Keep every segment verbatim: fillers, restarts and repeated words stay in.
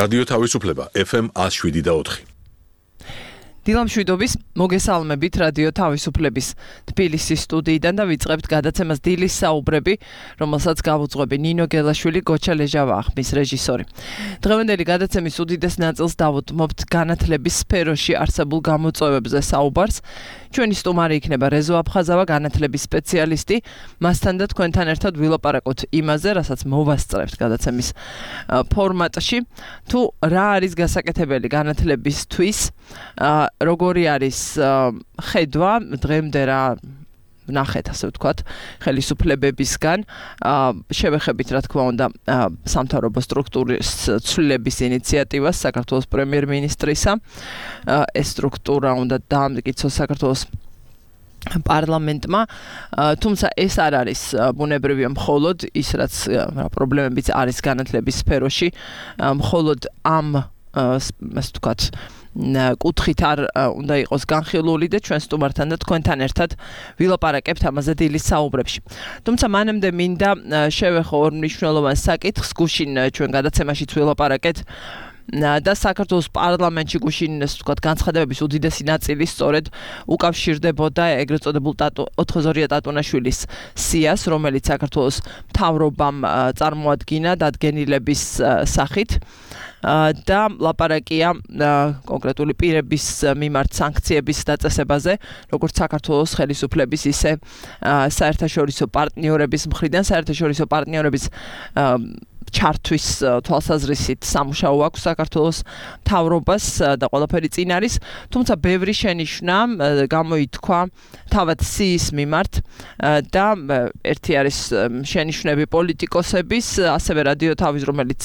რადიო თავისუფლება ეფ ემ one oh seven და four. დილამშვიდობის მოგესალმებით რადიო თავისუფლების თბილისის სტუდიიდან და ვიწყებთ გადაცემას დილის საუბრები, რომელსაც გავუძღვები ნინო გელაშვილი, გოჩა ლეჟავა ახმის რეჟისორი. დღევანდელი გადაცემის უდიდეს ნაწილს დავუთმობთ განათლების სფეროში არსებულ გამოწვევებზე საუბარს. ჩვენი სტუმარი იქნება რეზო აფხაზავა, განათლების სპეციალისტი. მასთან და თქვენთან ერთად ვილაპარაკოთ იმაზე, რასაც მოვასწრებთ გადაცემის ფორმატში. თუ რა არის გასაკეთებელი განათლებისთვის, როგორი არის ხედვა დღემდე რა ნახეთ, ასე ვთქვათ, ხელისუფლებებისგან, შევეხებით, რა თქმა უნდა, სამთავრობო სტრუქტურის ცვლილების ინიციატივას საქართველოს პრემიერ-მინისტრისა. ეს სტრუქტურა უნდა დაამტკიცოს საქართველოს პარლამენტმა, თუმცა ეს არ არის ბუნებრივია მხოლოდ ის, რაც პრობლემებიც არის განათლების სფეროში, მხოლოდ ამ, ასე ვთქვათ, კუთხით არ უნდა იყოს განხილული და ჩვენ სტუმართან და თქვენთან ერთად ვილაპარაკებთ ამაზე დილის საუბრებში. თუმცა მანამდე მინდა შევეხო ორ მნიშვნელოვან საკითხს, გუშინ ჩვენ გადაცემაშიც ვილაპარაკეთ და საქართველოს პარლამენტში გუშინ, ასე ვთქვათ, განცხადებების უდიდესი ნაწილი სწორედ უკავშირდებოდა ეგრეთ წოდებულ ოთხგზორია ტატუნაშვილის სიას, რომელიც საქართველოს მთავრობამ წარმოადგინა დადგენილების სახით. და ლაპარაკია კონკრეტული პირების მიმართ სანქციების დაწესებაზე, როგორც საქართველოს ხელისუფლების, ისე საერთაშორისო პარტნიორების მხრიდან. საერთაშორისო პარტნიორების ჩართვის თვალსაზრისით სამუშაო აქვს საქართველოს მთავრობას და ყველაფერი წინ არის, თუმცა ბევრი შენიშვნა გამოითქვა თავად სიის მიმართ და ერთი არის შენიშვნები პოლიტიკოსების, ასევე რადიო თავის, რომელიც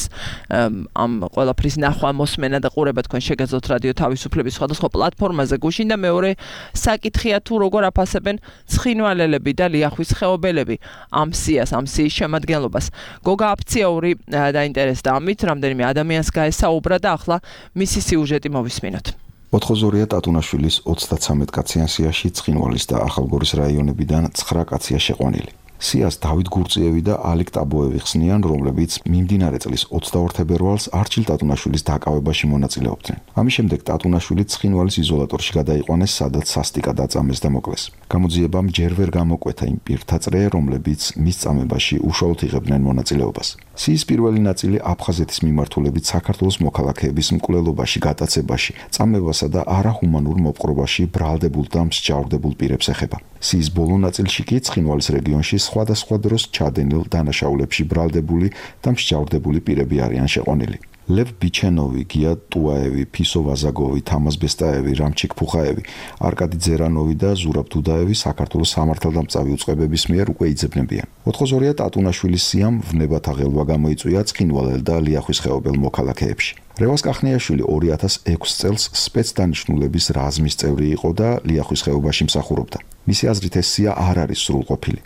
ამ ყველაფრის ნახვა, მოსმენა და ყურება თქვენ შეგეძლოთ რადიო თავისუფლების სხვადასხვა პლატფორმაზე გუშინ და მეორე საკითხია თუ როგორ აფასებენ ცხინვალელები და ლიახვის ხეობელები ამ სიას, ამ სიის შემადგენლობას. გოგა აფციაური დაინტერესდა ამით, რამდენიმე ადამიანს გაესაუბრა და ახლა მისი სიუჟეტი მოვისმინოთ. ოთხგზორია ტატუნაშვილის ოცდაცამეტ კაციან სიაში ცხინვალის და ახალგორის რაიონებიდან ცხრა კაცია შეყვანილი. სიას დავით გურწიევი და ალეკ ტაბოევი ხსნიან, რომლებიც მიმდინარე წლის ოცდაორ თებერვალს არჩილ ტატუნაშვილის დაკავებაში მონაწილეობდნენ. ამის შემდეგ ტატუნაშვილი ცხინვალის იზოლატორში გადაიყვანეს, სადაც სასტიკად აწამეს და მოკლეს. გამოძიებამ ჯერ ვერ გამოკვეთა იმ პირთა წრე, რომლებიც მის წამებაში უშუალოდ იღებდნენ მონაწილეობას. სიის პირველი ნაწილი აფხაზეთის მიმართულებით საქართველოს მოქალაქეების მკვლელობაში, გატაცებაში, წამებასა და არაჰუმანურ მოპყრობაში ბრალდებულ და მსჯავრდებულ პირებს ეხება. სიის ბოლო ნაწილში კი ცხინვალის რეგიონში სხვადასხვა დროს ჩადენილ დანაშაულებში ბრალდებული და მსჯავრდებული პირები არიან შეყვანილი. ლევ ბიჩენოვი, გია ტუაევი, ფისო ვაზაგოვი, თამას ბესტაევი, რამჩიკ ფუხაევი, არკადი ძერანოვი და ზურაბ დუდაევი საქართველოს სამართალდამწავი უწყებების მიერ უკვე იძებნებიან. ოთხგზორია ტატუნაშვილის სიამ ვნებათა ღელვა გამოიწვია ცხინვალელ და ლიახვის ხეობელ მოქალაქეებში. რევას კახნიაშვილი ორი ათას ექვსი წელს სპეცდანიშნულების რაზმის წევრი იყო და ლიახვის ხეობაში მსახურობდა. მისი აზრით ეს სია არ არის სრულყოფილი.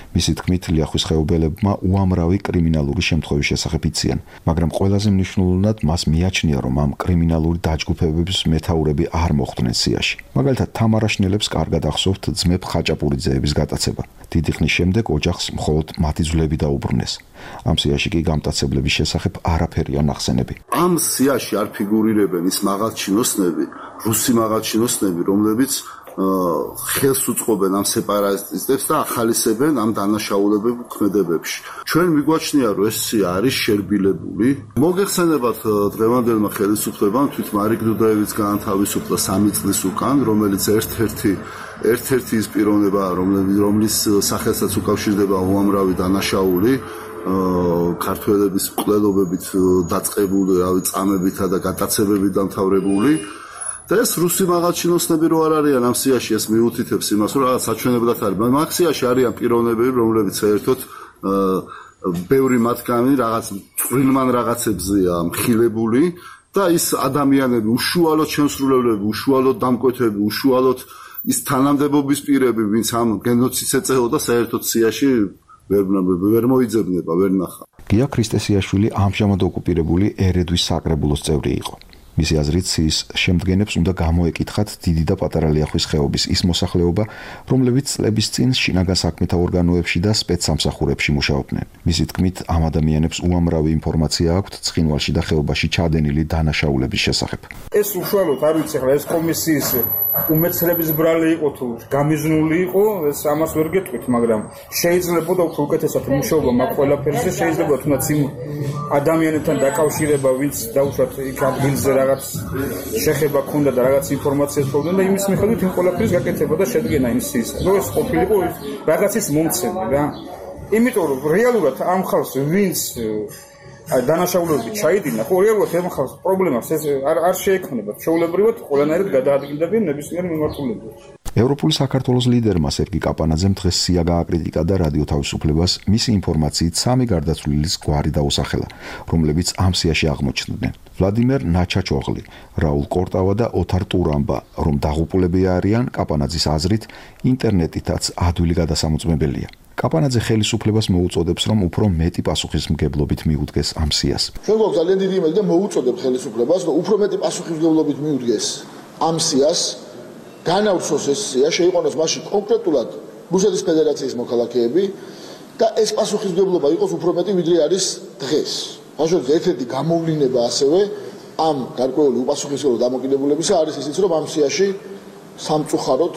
მისი თქმით, ლიახვის ხეობელებმა უამრავი კრიმინალური შემთხვევის შესახებ იციან, მაგრამ ყველაზე მნიშვნელოვნად მას მიაჩნია, რომ ამ კრიმინალური დაჯგუფებების მეთაურები არ მოხვდნენ სიაში. მაგალითად, თამარაშნელებს კარგად ახსოვთ ძმებ ხაჭაპურიძეების გატაცება. დიდი ხნის შემდეგ ოჯახს მხოლოდ მათი ძვლები დაუბრუნეს. ამ სიაში კი გამტაცებლების შესახებ არაფერია ნახსენები. ამ სიაში არ ფიგურირებენ ის მაღალჩინოსნები, რუსი მაღალჩინოსნები, რომლებიც ხელს უწყობენ ამ სეპარატისტებს და ახალისებენ ამ დანაშაულებებ ქმედებებში. ჩვენ მიგვაჩნია, რომ ეს სია არის შერბილებული. მოგეხსენებათ დღევანდელმა ხელისუფლებამ თვით მარიკ დუდაევიც გაანთავისუფლა სამი წლის უკან, რომელიც ერთ-ერთი ერთ-ერთი ის პიროვნებაა, რომლის სახელსაც უკავშირდება უამრავი დანაშაული, ქართველების მკვლელობებით დაწყებული, რავი, წამებითა და გატაცებებით დამთავრებული. და ეს რუსი მაღალჩინოსნები რო არ არიან ამ სიაში, ეს მიუთითებს იმას, რომ რაღაც საჩვენებლად არის. მაგ სიაში არიან პიროვნებები, რომლებიც საერთოდ ბევრი მათგანი რაღაც წვრილმან რაღაცებზეა მხილებული და ის ადამიანები, უშუალოდ შემსრულებლები, უშუალოდ დამკვეთები, უშუალოდ ის თანამდებობის პირები, ვინც ამ გენოციდს ეწეოდა, საერთოდ სიაში ვერ ვერ მოიძებნება, ვერ ნახა. გია ქრისტესიაშვილი ამჟამად ოკუპირებული ერედვის საკრებულოს წევრი იყო. მისი აზრით, სიის შემდგენებს უნდა გამოეკითხათ დიდი და პატარა ლიახვის ხეობის ის მოსახლეობა, რომლებიც წლების წინ შინაგან საქმეთა ორგანოებში და სპეცსამსახურებში მუშაობდნენ. მისი თქმით, ამ ადამიანებს უამრავი ინფორმაცია აქვთ ცხინვალში და ხეობაში ჩადენილი დანაშაულების შესახებ. ეს უშუალოდ არ ვიცი, ახლა ეს კომისიის უმეცრების ბრალი იყო თუ გამიზნული იყო, ეს ამას ვერ გეტყვით, მაგრამ შეიძლება და უფრო უკეთესად მუშაობა მაგ ყველაფერზე, შეიძლება თუნდაც იმ ადამიანებთან დაკავშირება, ვინც დაუშვათ იქ ადგილზე რაღაც შეხება ქონდა და რაღაც ინფორმაციას ფლობდნენ და იმის მიხედვით იმ ყველაფრის გაკეთება და შედგენა იმ სიის. რო ეს ყოფილიყო რაღაცის მომცემი რა. იმიტომ რომ რეალურად ამ ხალხს ვინც დანაშაულები ჩაიდინა, ხო რეალურად ამ ხალხს პრობლემას ეს არ არ შეექმნება. ჩვეულებრივად ყველანაირად გადაადგილდებიან ნებისმიერი მიმართულებით. ევროპული საქართველოს ლიდერმა სერგი კაპანაძემ დღეს სია გააკრიტიკა და რადიო თავისუფლებას მისი ინფორმაციით სამი გარდაცვლილის გვარი დაუსახელა, რომლებიც ამ სიაში აღმოჩნდნენ. ვლადიმერ ნაჩაჩოღლი, რაულ კორტავა და ოთარ ტურამბა, რომ დაღუპულები არიან, კაპანაძის აზრით, ინტერნეტითაც ადვილი გადასამოწმებელია. კაპანაძე ხელისუფლებას მოუწოდებს, რომ უფრო მეტი პასუხისმგებლობით მიუდგეს ამ სიას. ჩვენ გვაქვს ძალიან დიდი იმედი და მოუწოდებთ ხელისუფლებას, რომ უფრო მეტი პასუხისმგებლობით მიუდგეს ამ სიას, განავრცოს ეს სია, შეიყვანოს მასში კონკრეტულად რუსეთის ფედერაციის მოქალაქეები და ეს პასუხისმგებლობა იყოს უფრო მეტი, ვიდრე არის დღეს. ბავშვებს ერთ-ერთი გამოვლინება ასევე ამ გარკვეული უპასუხისმგებლო დამოკიდებულებისა არის ისიც, რომ ამ სიაში სამწუხაროდ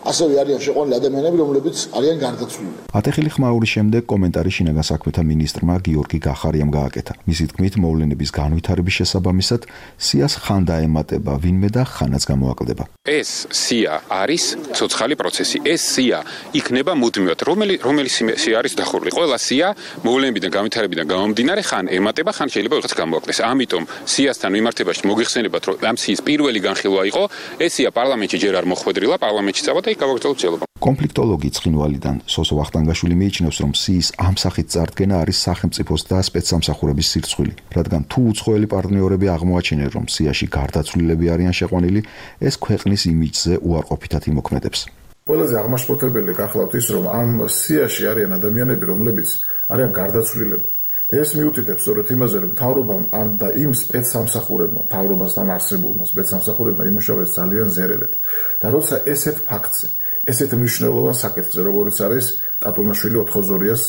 ასევე არიან შეყვანილი ადამიანები, რომლებიც არიან გარდაცვლილი. ათეხილი ხმაურის შემდეგ კომენტარი შინაგან საქმეთა მინისტრმა გიორგი გახარიამ გააკეთა. მისი თქმით, მოვლენების განვითარების შესაბამისად სიას ხან დაემატება ვინმე და ხანაც გამოაკლდება. ეს სია არის ცოცხალი პროცესი. ეს სია იქნება მუდმივად. რომელი რომელი სია არის დახურული? ყველა სია მოვლენებიდან განვითარებიდან გამომდინარე ხან ემატება, ხან შეიძლება ვიღაც გამოაკლდეს. ამიტომ სიასთან მიმართებაში მოგიხსენებათ, რომ ამ სიის პირველი განხილვა იყო, ეს სია პარლამენტში ჯერ არ მოხვედრილა, პარლამენტში წავა და კონფლიქტოლოგი ცხინვალიდან სოსო ვახტანგაშვილი მიიჩნევს, რომ სიის ამ სახით წარდგენა არის სახელმწიფოს და სპეცსამსახურების სირცხვილი, რადგან თუ უცხოელი პარტნიორები აღმოაჩენენ, რომ სიაში გარდაცვლილები არიან შეყვანილი, ეს ქვეყნის იმიჯზე უარყოფითად იმოქმედებს. ყველაზე აღმაშფოთებელი გახლავთ ის, რომ ამ სიაში არიან ადამიანები, რომლებიც არიან გარდაცვლილები. ეს მიუთითებს სწორედ იმაზე, რომ მთავრობამ ამ და იმ სპეცსამსახურებმა, მთავრობასთან არსებულმა სპეცსამსახურებმა იმუშავეს ძალიან ზერელად. და როცა ესეთ ფაქტზე, ესეთ მნიშვნელოვან საკითხზე, როგორც არის ტატუნაშვილი ოთხოზორიას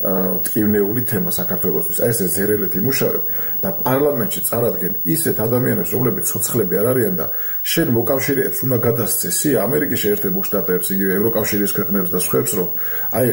ტკივნეული თემა საქართველოსთვის, აი ესე ზერელეთ იმუშავებ და პარლამენტში წარადგენ ისეთ ადამიანებს, რომლებიც ცოცხლები არ არიან და შენ მოკავშირეებს უნდა გადასცე სია ამერიკის შეერთებულ შტატებს, იგივე ევროკავშირის ქვეყნებს და სხვებს, რომ აი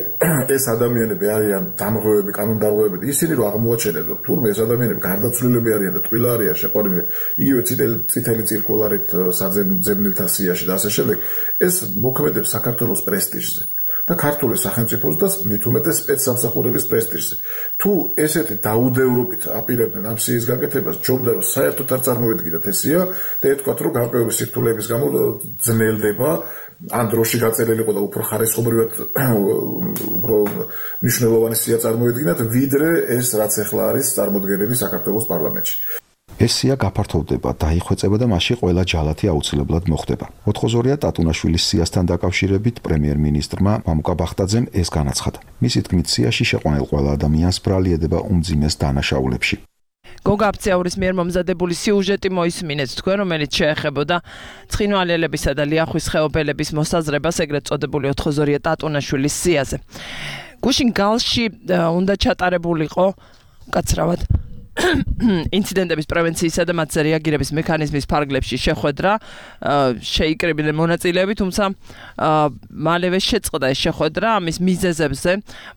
ეს ადამიანები არიან დამღუებები, კანონდარღვევები, ისინი რომ აღმოაჩენენ, რომ თურმე ეს ადამიანები გარდაცვლილები არიან და ტყილა არიან შეყვანილი, იგივე წითელი წითელი цирკულარით საძებნელთა სიაში და ასე შემდეგ, ეს მოქმედებს საქართველოს პრესტიჟზე. და ქართული სახელმწიფოს და მით უმეტეს სპეცსამსახურების პრესტიჟზე. თუ ესეთი დაუდევრობით აპირებდნენ ამ სიის გაკეთებას, ჯობდა რომ საერთოდ არ წარმოვედგინათ ეს სია და ეთქვათ, რომ გარკვეული სირთულეების გამო ძნელდება, ან დროში გაწერილიყო და უფრო ხარისხობრივად უფრო მნიშვნელოვანი სია წარმოვედგინათ, ვიდრე ეს რაც ახლა არის წარმოდგენილი საქართველოს პარლამენტში. ეს სია გაფართოვდება, დაიხვეწება და მასში ყველა ჯალათი აუცილებლად მოხდება. ოთხოზორია ტატუნაშვილის სიასთან დაკავშირებით პრემიერ-მინისტრმა მამუკა ბახტაძემ ეს განაცხადა. მისი თქმით, სიაში შეყვანილ ყველა ადამიანს ბრალი ედება უმძიმეს დანაშაულებში. გოგა აფციაურის მიერ მომზადებული სიუჟეტი მოისმინეთ თქვენ, რომელიც შეეხებოდა ცხინვალელებისა და ლიახვის ხეობელების მოსაზრებას, ეგრეთ წოდებული ოთხოზორია ტატუნაშვილის სიაზე. გუშინ გალში უნდა ჩატარებულიყო კაცრავად ინციდენტების პრევენციისა და მათზე რეაგირების მექანიზმის ფარგლებში შეხვედრა, შეიკრიბნენ მონაწილეები, თუმცა მალევე შეწყდა ეს შეხვედრა. ამის მიზეზებზე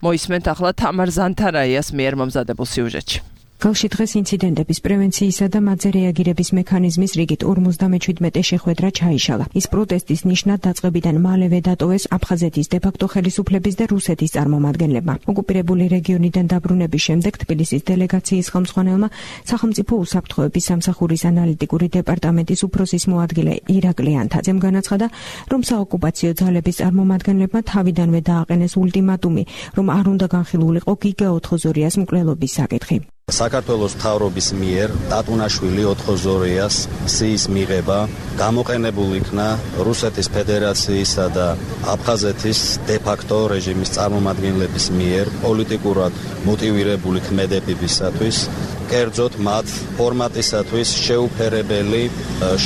მოისმენთ ახლა თამარ ზანთარაიას მიერ მომზადებულ სიუჟეტში. გალში დღეს ინციდენტების პრევენციისა და მათზე რეაგირების მექანიზმის რიგით ორმოცდამეჩვიდმეტე შეხვედრა ჩაიშალა. ის პროტესტის ნიშნად დაწყებიდან მალევე დატოვეს აფხაზეთის დე-ფაქტო ხელისუფლების და რუსეთის წარმომადგენლებმა. ოკუპირებული რეგიონიდან დაბრუნების შემდეგ თბილისის დელეგაციის ხელმძღვანელმა სახელმწიფო უსაფრთხოების სამსახურის ანალიტიკური დეპარტამენტის უფროსის მოადგილე ირაკლი ანთაძემ განაცხადა, რომ საოკუპაციო ძალების წარმომადგენლებმა თავიდანვე დააყენეს ულტიმატუმი, რომ არ უნდა განხილულიყო გიგა ოთხოზორიას მკვლელობის საკითხი. საქართველოს მთავრობის მიერ ტატუნაშვილი ოთხოზორიას სიის მიღება გამოყენებულ იქნა რუსეთის ფედერაციისა და აფხაზეთის დე-ფაქტო რეჟიმის წარმომადგენლების მიერ პოლიტიკურად მოტივირებული ქმედებებისათვის კერძოდ მათ ფორმატისათვის შეუფერებელი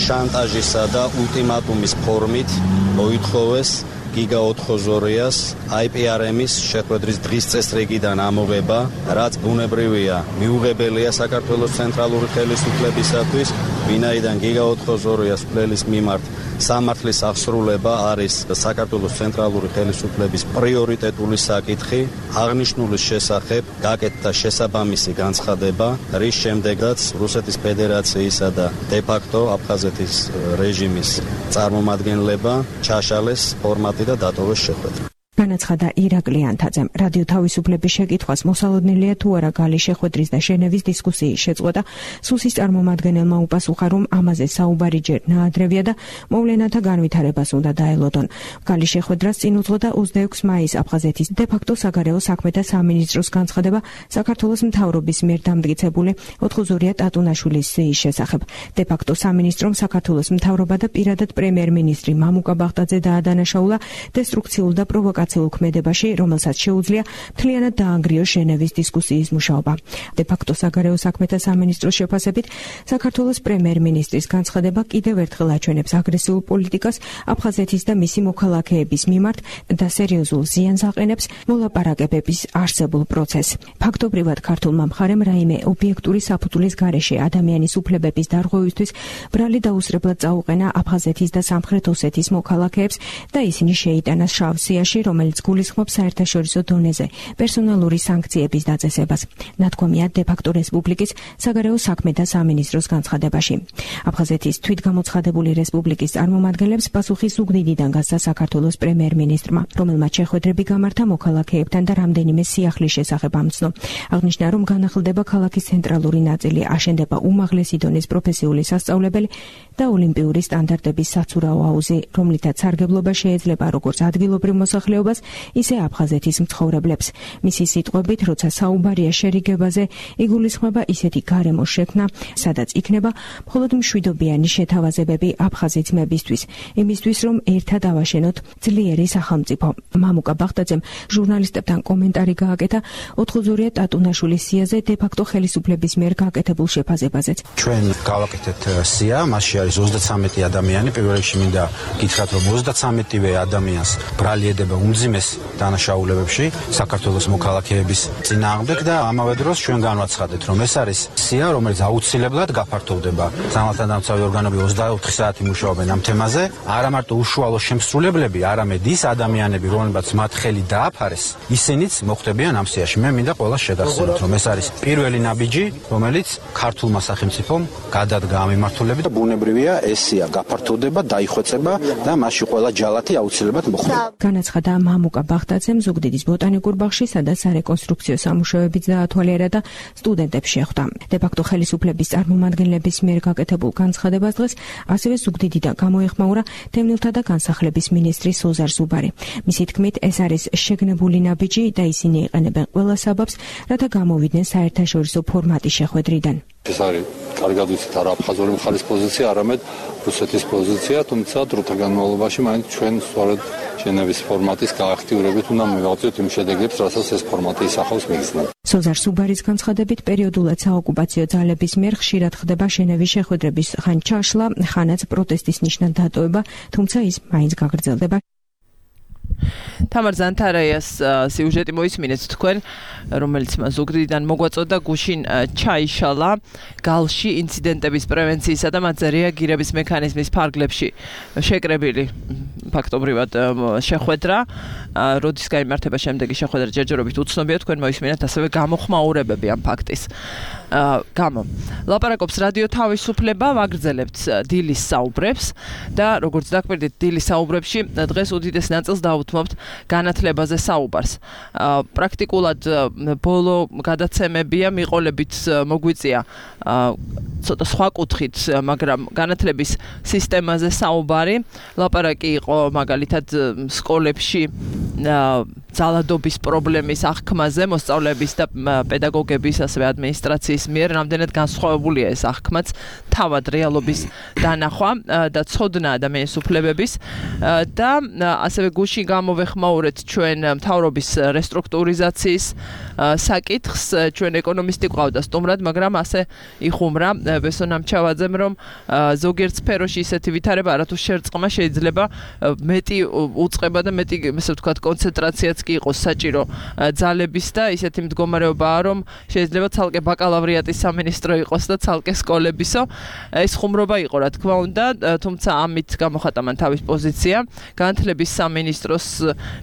შანტაჟისა და ულტიმატუმის ფორმით მოითხოვეს გიგა ოთხგზორიას აი პი არ ემის შეხვედრის დღის წესრიგიდან ამოღება, რაც ბუნებრივია, მიუღებელია საქართველოს ცენტრალური ხელისუფლებისათვის, ვინაიდან გიგა ოთხგზორიას მკვლელის მიმართ სამართლის აღსრულება არის საქართველოს ცენტრალური ხელისუფლების პრიორიტეტული საკითხი, აღნიშნულის შესახებ გაკეთდა შესაბამისი განცხადება, რის შემდეგაც რუსეთის ფედერაციისა და დე-ფაქტო აფხაზეთის რეჟიმის წარმომადგენლება ჩაშალეს ფორმატი და დატოვეს შეხვედრა. განაცხადა ირაკლი ანთაძემ. რადიო თავისუფლების შეკითხვას მოსალოდნელია თუ არა გალის შეხვედრის და შენევის დისკუსიის შეწყვეტა, სუსის წარმომადგენელმა უპასუხა, რომ ამაზე საუბარი ჯერ ნაადრევია და მოვლენათა განვითარებას უნდა დაელოდონ. გალის შეხვედრას წინ უძღოდა ოცდაექვსი მაისს აფხაზეთის დე-ფაქტო საგარეო საქმეთა სამინისტროს განცხადება საქართველოს მთავრობის მიერ დამტკიცებული ოთხგზორია ტატუნაშვილის სიის შესახებ. დე-ფაქტო სამინისტრომ საქართველოს მთავრობა და პირადად პრემიერ-მინისტრი მამუკა ბახტაძე დაადანაშაულა დესტრუქციულ და პროვოკაციულ ქმედებაში, რომელსაც შეუძლია მთლიანად დაანგრიოს ჟენევის დისკუსიის მუშაობა. დე-ფაქტო საგარეო საქმეთა სამინისტროს შეფასებით, საქართველოს პრემიერ-მინისტრის განცხადება კიდევ ერთხელ აჩვენებს აგრესიულ პოლიტიკას აფხაზეთის და მისი მოქალაქეების მიმართ და სერიოზულ ზიანს აყენებს მოლაპარაკებების არსებულ პროცესს. ფაქტობრივად ქართულმა მხარემ რაიმე ობიექტური საფუძვლის გარეშე ადამიანის უფლებების დარღვევისთვის ბრალი დაუსრებლად წაუყენა აფხაზეთის და სამხრეთ ოსეთის მოქალაქეებს და ისინი შეიტანა შავ სიაში, რომელიც გულისხმობს საერთაშორისო დონეზე პერსონალური სანქციების დაწესებას. ნათქვამია დე-ფაქტო რესპუბლიკის საგარეო საქმეთა სამინისტროს განცხადებაში. აფხაზეთის თვითგამოცხადებული რესპუბლიკის წარმომადგენლებს პასუხი ზუგდიდიდან გასცა საქართველოს პრემიერ-მინისტრმა, რომელმაც შეხვედრები გამართა მოქალაქეებთან და რამდენიმე სიახლის შესახებ ამცნო. აღნიშნა, რომ განახლდება ქალაქის ცენტრალური ნაწილი, აშენდება უმაღლესი დონის პროფესიული სასწავლებელი და ოლიმპიური სტანდარტების საცურაო აუზი, რომლითაც სარგებლობა შეეძლება როგორც ადგილობრივ მოსახლეობას, ისე აფხაზეთის მცხოვრებლებს. მისი სიტყვებით, როცა საუბარია შერიგებაზე, იგულისხმება ისეთი გარემოს შექმნა, სადაც იქნება მხოლოდ მშვიდობიანი შეთავაზებები აფხაზი ძმებისთვის, იმისთვის, რომ ერთად ავაშენოთ ძლიერი სახელმწიფო. მამუკა ბახტაძემ ჟურნალისტებთან კომენტარი გააკეთა ოთხგზორია ტატუნაშვილის სიაზე დე-ფაქტო ხელისუფლების მიერ გაკეთებულ შეფასებაზეც. ჩვენ გავაკეთეთ სია, მასში არის ოცდაცამეტი ადამიანი, პირველ რიგში მინდა გითხრათ, რომ ოცდაცამეტივე ადამიანს ბრალი ედება უმძიმეს დანაშაულებებში საქართველოს მოქალაქეების წინააღმდეგ და ამავე დროს ჩვენ განვაცხადეთ, რომ ეს არის სია, რომელიც აუცილებლად გაფართოვდება. სამართალდამცავი ორგანოები ოცდაოთხი საათი მუშაობენ ამ თემაზე, არა მარტო უშუალო შემსრულებლები, არამედ ის ადამიანები, რომლებიც მათ ხელი დააფარეს, ისინიც მოხვდებიან ამ სიაში. მე მინდა ყველას შეგახსენოთ, რომ ეს არის პირველი ნაბიჯი, რომელიც ქართულმა სახელმწიფომ გადადგა ამ მიმართულებით და ბუნებრივია ეს სია გაფართოვდება, დაიხვეწება და მასში ყველა ჯალათი აუცილებლად მოხვდება. განაცხადა მამუკა ბახტაძემ ზუგდიდის ბოტანიკურ ბაღში, სადაც სარეკონსტრუქციო სამუშაოებიც დაათვალიერა და სტუდენტებს შეხვდა. დე-ფაქტო ხელისუფლების წარმომადგენლების მიერ გაკეთებულ განცხადებას დღეს ასევე ზუგდიდიდან გამოეხმაურა თემნილთა და განსახლების მინისტრი სოზარ ზუბარი. მისი თქმით, ეს არის შეგნებული ნაბიჯი და ისინი იყენებენ ყველა საბაბს, რათა გამოვიდნენ საერთაშორისო ფორმატის შეხვედრიდან. ეს არის კარგად ვიცით არა აფხაზური მხარის პოზიცია, არამედ რუსეთის პოზიცია, თუმცა დროთა განმავლობაში მაინც ჩვენ სწორედ ჟენევის ფორმატის გააქტიურებით უნდა მივაღწიოთ იმ შედეგებს, რასაც ეს ფორმატი ისახავს მიგრძნად. სოზარ სუბარის განცხადებით, პერიოდულად საოკუპაციო ძალების მიერ ხშირად ხდება ჟენევის შეხვედრების ხან ჩაშლა, ხანაც პროტესტის ნიშნად დატოვება, თუმცა ის მაინც გაგრძელდება. თამარ ზანთარაიას სიუჟეტი მოისმინეთ თქვენ, რომელიც ზუგდიდიდან მოგვაწოდა, გუშინ ჩაიშალა გალში ინციდენტების პრევენციისა და მათზე რეაგირების მექანიზმის ფარგლებში შეკრებილი ფაქტობრივად შეხვედრა, როდის გაიმართება შემდეგი შეხვედრა ჯერჯერობით უცნობია, თქვენ მოისმინეთ ასევე გამოხმაურებები ამ ფაქტის. გამო ლაპარაკობს რადიო თავისუფლება, ვაგრძელებთ დილის საუბრებს და როგორც დაკვირდით, დილის საუბრებში დღეს უდიდეს ნაწილს დავუთმობთ განათლებაზე საუბარს. პრაქტიკულად ბოლო გადაცემებია, მიყოლებით მოგვიწია ცოტა სხვა კუთხით, მაგრამ განათლების სისტემაზე საუბარი, ლაპარაკი იყო მაგალითად სკოლებში ძალადობის პრობლემის აღქმაზე მოსწავლეების და პედაგოგების ასევე ადმინისტრაციის მიერ რამდენად განსხვავებულია ეს აღქმაც თავად რეალობის დანახვა და ცოდნა ადამიანის უფლებების და ასევე გუშინ გამოვეხმაურეთ ჩვენ მთავრობის რესტრუქტურიზაციის საკითხს ჩვენ ეკონომისტი ყავდა სტუმრად მაგრამ ასე იხუმრა ბესო ნამჩავაძემ რომ ზოგიერთ სფეროში ისეთი ვითარება არათუ შერწყმა შეიძლება მეტი უწყება და მეტი ესე ვთქვათ კონცენტრაციაც კი იყოს საჭირო ძალების და ისეთი მდგომარეობაა რომ შეიძლება ცალკე ბაკალავრიატის სამინისტრო იყოს და ცალკე სკოლებისო ეს ხუმრობა იყო რა თქმა უნდა თუმცა ამით გამოხატა მან თავის პოზიცია განათლების სამინისტროს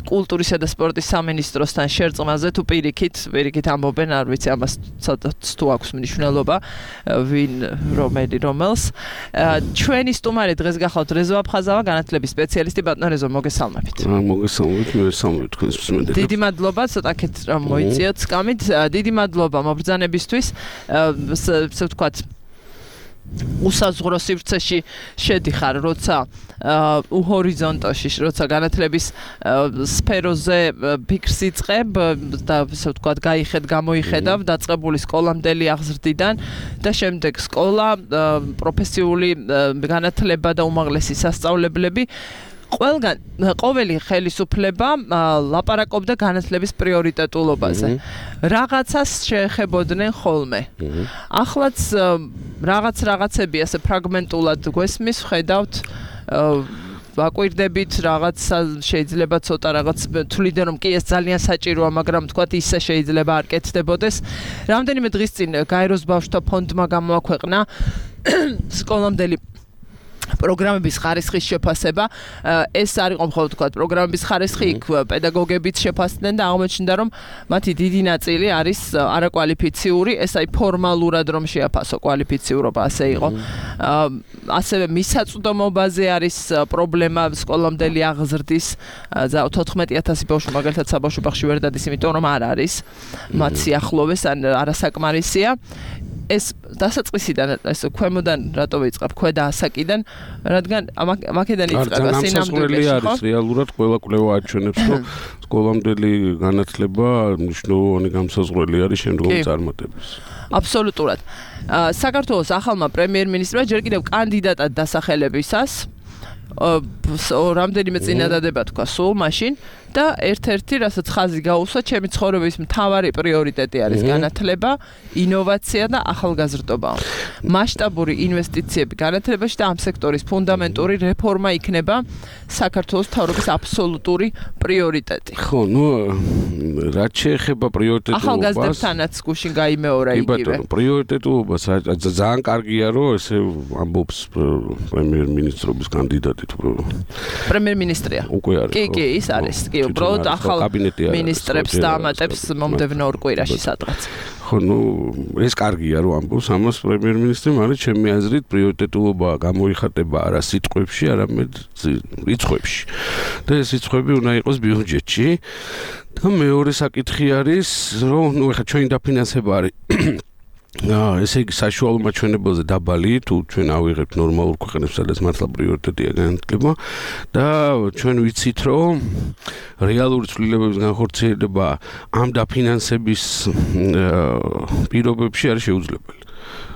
კულტურისა და სპორტის სამინისტროსთან შერწყმაზე თუ პირიქით პირიქით ამბობენ არ ვიცი ამას თუ აქვს მნიშვნელობა ვინ რომელი რომელს ჩვენი სტუმარი დღეს გახლავთ რეზო აფხაზავა განათლების სპეციალისტი ბატონო რეზო მოგესალმებით მოგესალმებით მე ვესალმებით თქვენს მსმენელებს დიდი მადლობა ცოტაკეთ რომ მოიწიოთ სკამით დიდი მადლობა მობრძანებისთვის ესე ვთქვათ უსაზღვრო სივრცეში შედიხარ როცა უჰორიზონტოში როცა განათლების სფეროზე ფიქრს იწყებ და ესე ვთქვათ გაიხედ გამოიხედავ დაწყებული სკოლამდელი აღზრდიდან და შემდეგ სკოლა პროფესიული განათლება და უმაღლესი სასწავლებლები ყველგან ყოველი ხელისუფლება ლაპარაკობდა განათლების პრიორიტეტულობაზე. რაღაცას შეეხებოდნენ ხოლმე. ახლაც რაღაც რაღაცები ასე ფრაგმენტულად გვესმის, ხედავთ ვაკვირდებით რაღაც შეიძლება ცოტა რაღაც თვლიდან რომ კი ეს ძალიან საჭიროა, მაგრამ თქვათ ისე შეიძლება არ კეთდებოდეს. რამდენიმე დღის წინ გაეროს ბავშვთა ფონდმა გამოაქვეყნა სკოლამდელი პროგრამების ხარისხის შეფასება ეს არ იყო მხოლოდ თქვა პროგრამების ხარისხი იქ პედაგოგებიც შეფასდნენ და აღმოჩნდა რომ მათი დიდი ნაწილი არის არაკვალიფიციური ეს აი ფორმალურად რომ შეაფასო კვალიფიციურობა ასე იყო ასევე მისაწვდომობაზე არის პრობლემა სკოლამდელი აღზრდის თოთხმეტი ათასი ბავშვი მაგალითად საბავშვო ბაღში ვერ დადის იმიტომ რომ არ არის მათ სიახლოვეს ან არასაკმარისია ეს დასაწყისიდან ეს ქვემოდან რატო ვიწყებ ქვედა ასაკიდან რადგან ამაკედან იწყება სინამდვილეში ხო არის რეალურად ყველა კვლევა აჩვენებს რომ სკოლამდელი განათლება მნიშვნელოვანი განსაზღვრელი არის შემდგომი წარმატების აბსოლუტურად საქართველოს ახალმა პრემიერ-მინისტრმა ჯერ კიდევ კანდიდატად დასახელებისას რამდენიმე წინადადება თქვა სულ მაშინ და ერთ-ერთი რასაც ხაზი გაუსვა ჩემი ცხოვრების მთავარი პრიორიტეტი არის განათლება, ინოვაცია და ახალგაზრდობა. მასშტაბური ინვესტიციები განათლებაში და ამ სექტორის ფუნდამენტური რეფორმა იქნება საქართველოს მთავრობის აბსოლუტური პრიორიტეტი. ხო, ნუ რაც შეეხება პრიორიტეტულობას ახალგაზრდებთანაც გუშინ გაიმეორა იგივე. კი ბატონო, პრიორიტეტულობას ძალიან კარგია რომ ესე ამბობს პრემიერ-მინისტრობის კანდიდატი თუ პრემიერ-მინისტრია. უკვე არის. კი, კი, ის არის. კი, უბრალოდ ახალ მინისტრებს და ამატებს მომდევნო ორ კვირაში სადღაც. ხო, ნუ ეს კარგია რომ ამბობს ამას პრემიერ-მინისტრი, მაგრამ ჩემი აზრით პრიორიტეტულობა გამოიხატება არა სიტყვებში, არამედ რიცხვებში. და ეს რიცხვები უნდა იყოს ბიუჯეტში. და მეორე საკითხი არის, რომ ნუ ეხლა ჩვენი დაფინანსება არის აა ესე იგი საშუალო მაჩვენებელზე დაბალი თუ ჩვენ ავიღებთ ნორმალურ ქვეყნებს სადაც მართლა პრიორიტეტია განათლება და ჩვენ ვიცით რომ რეალური ცვლილებების განხორციელება ამ დაფინანსების პირობებში არის შეუძლებელი.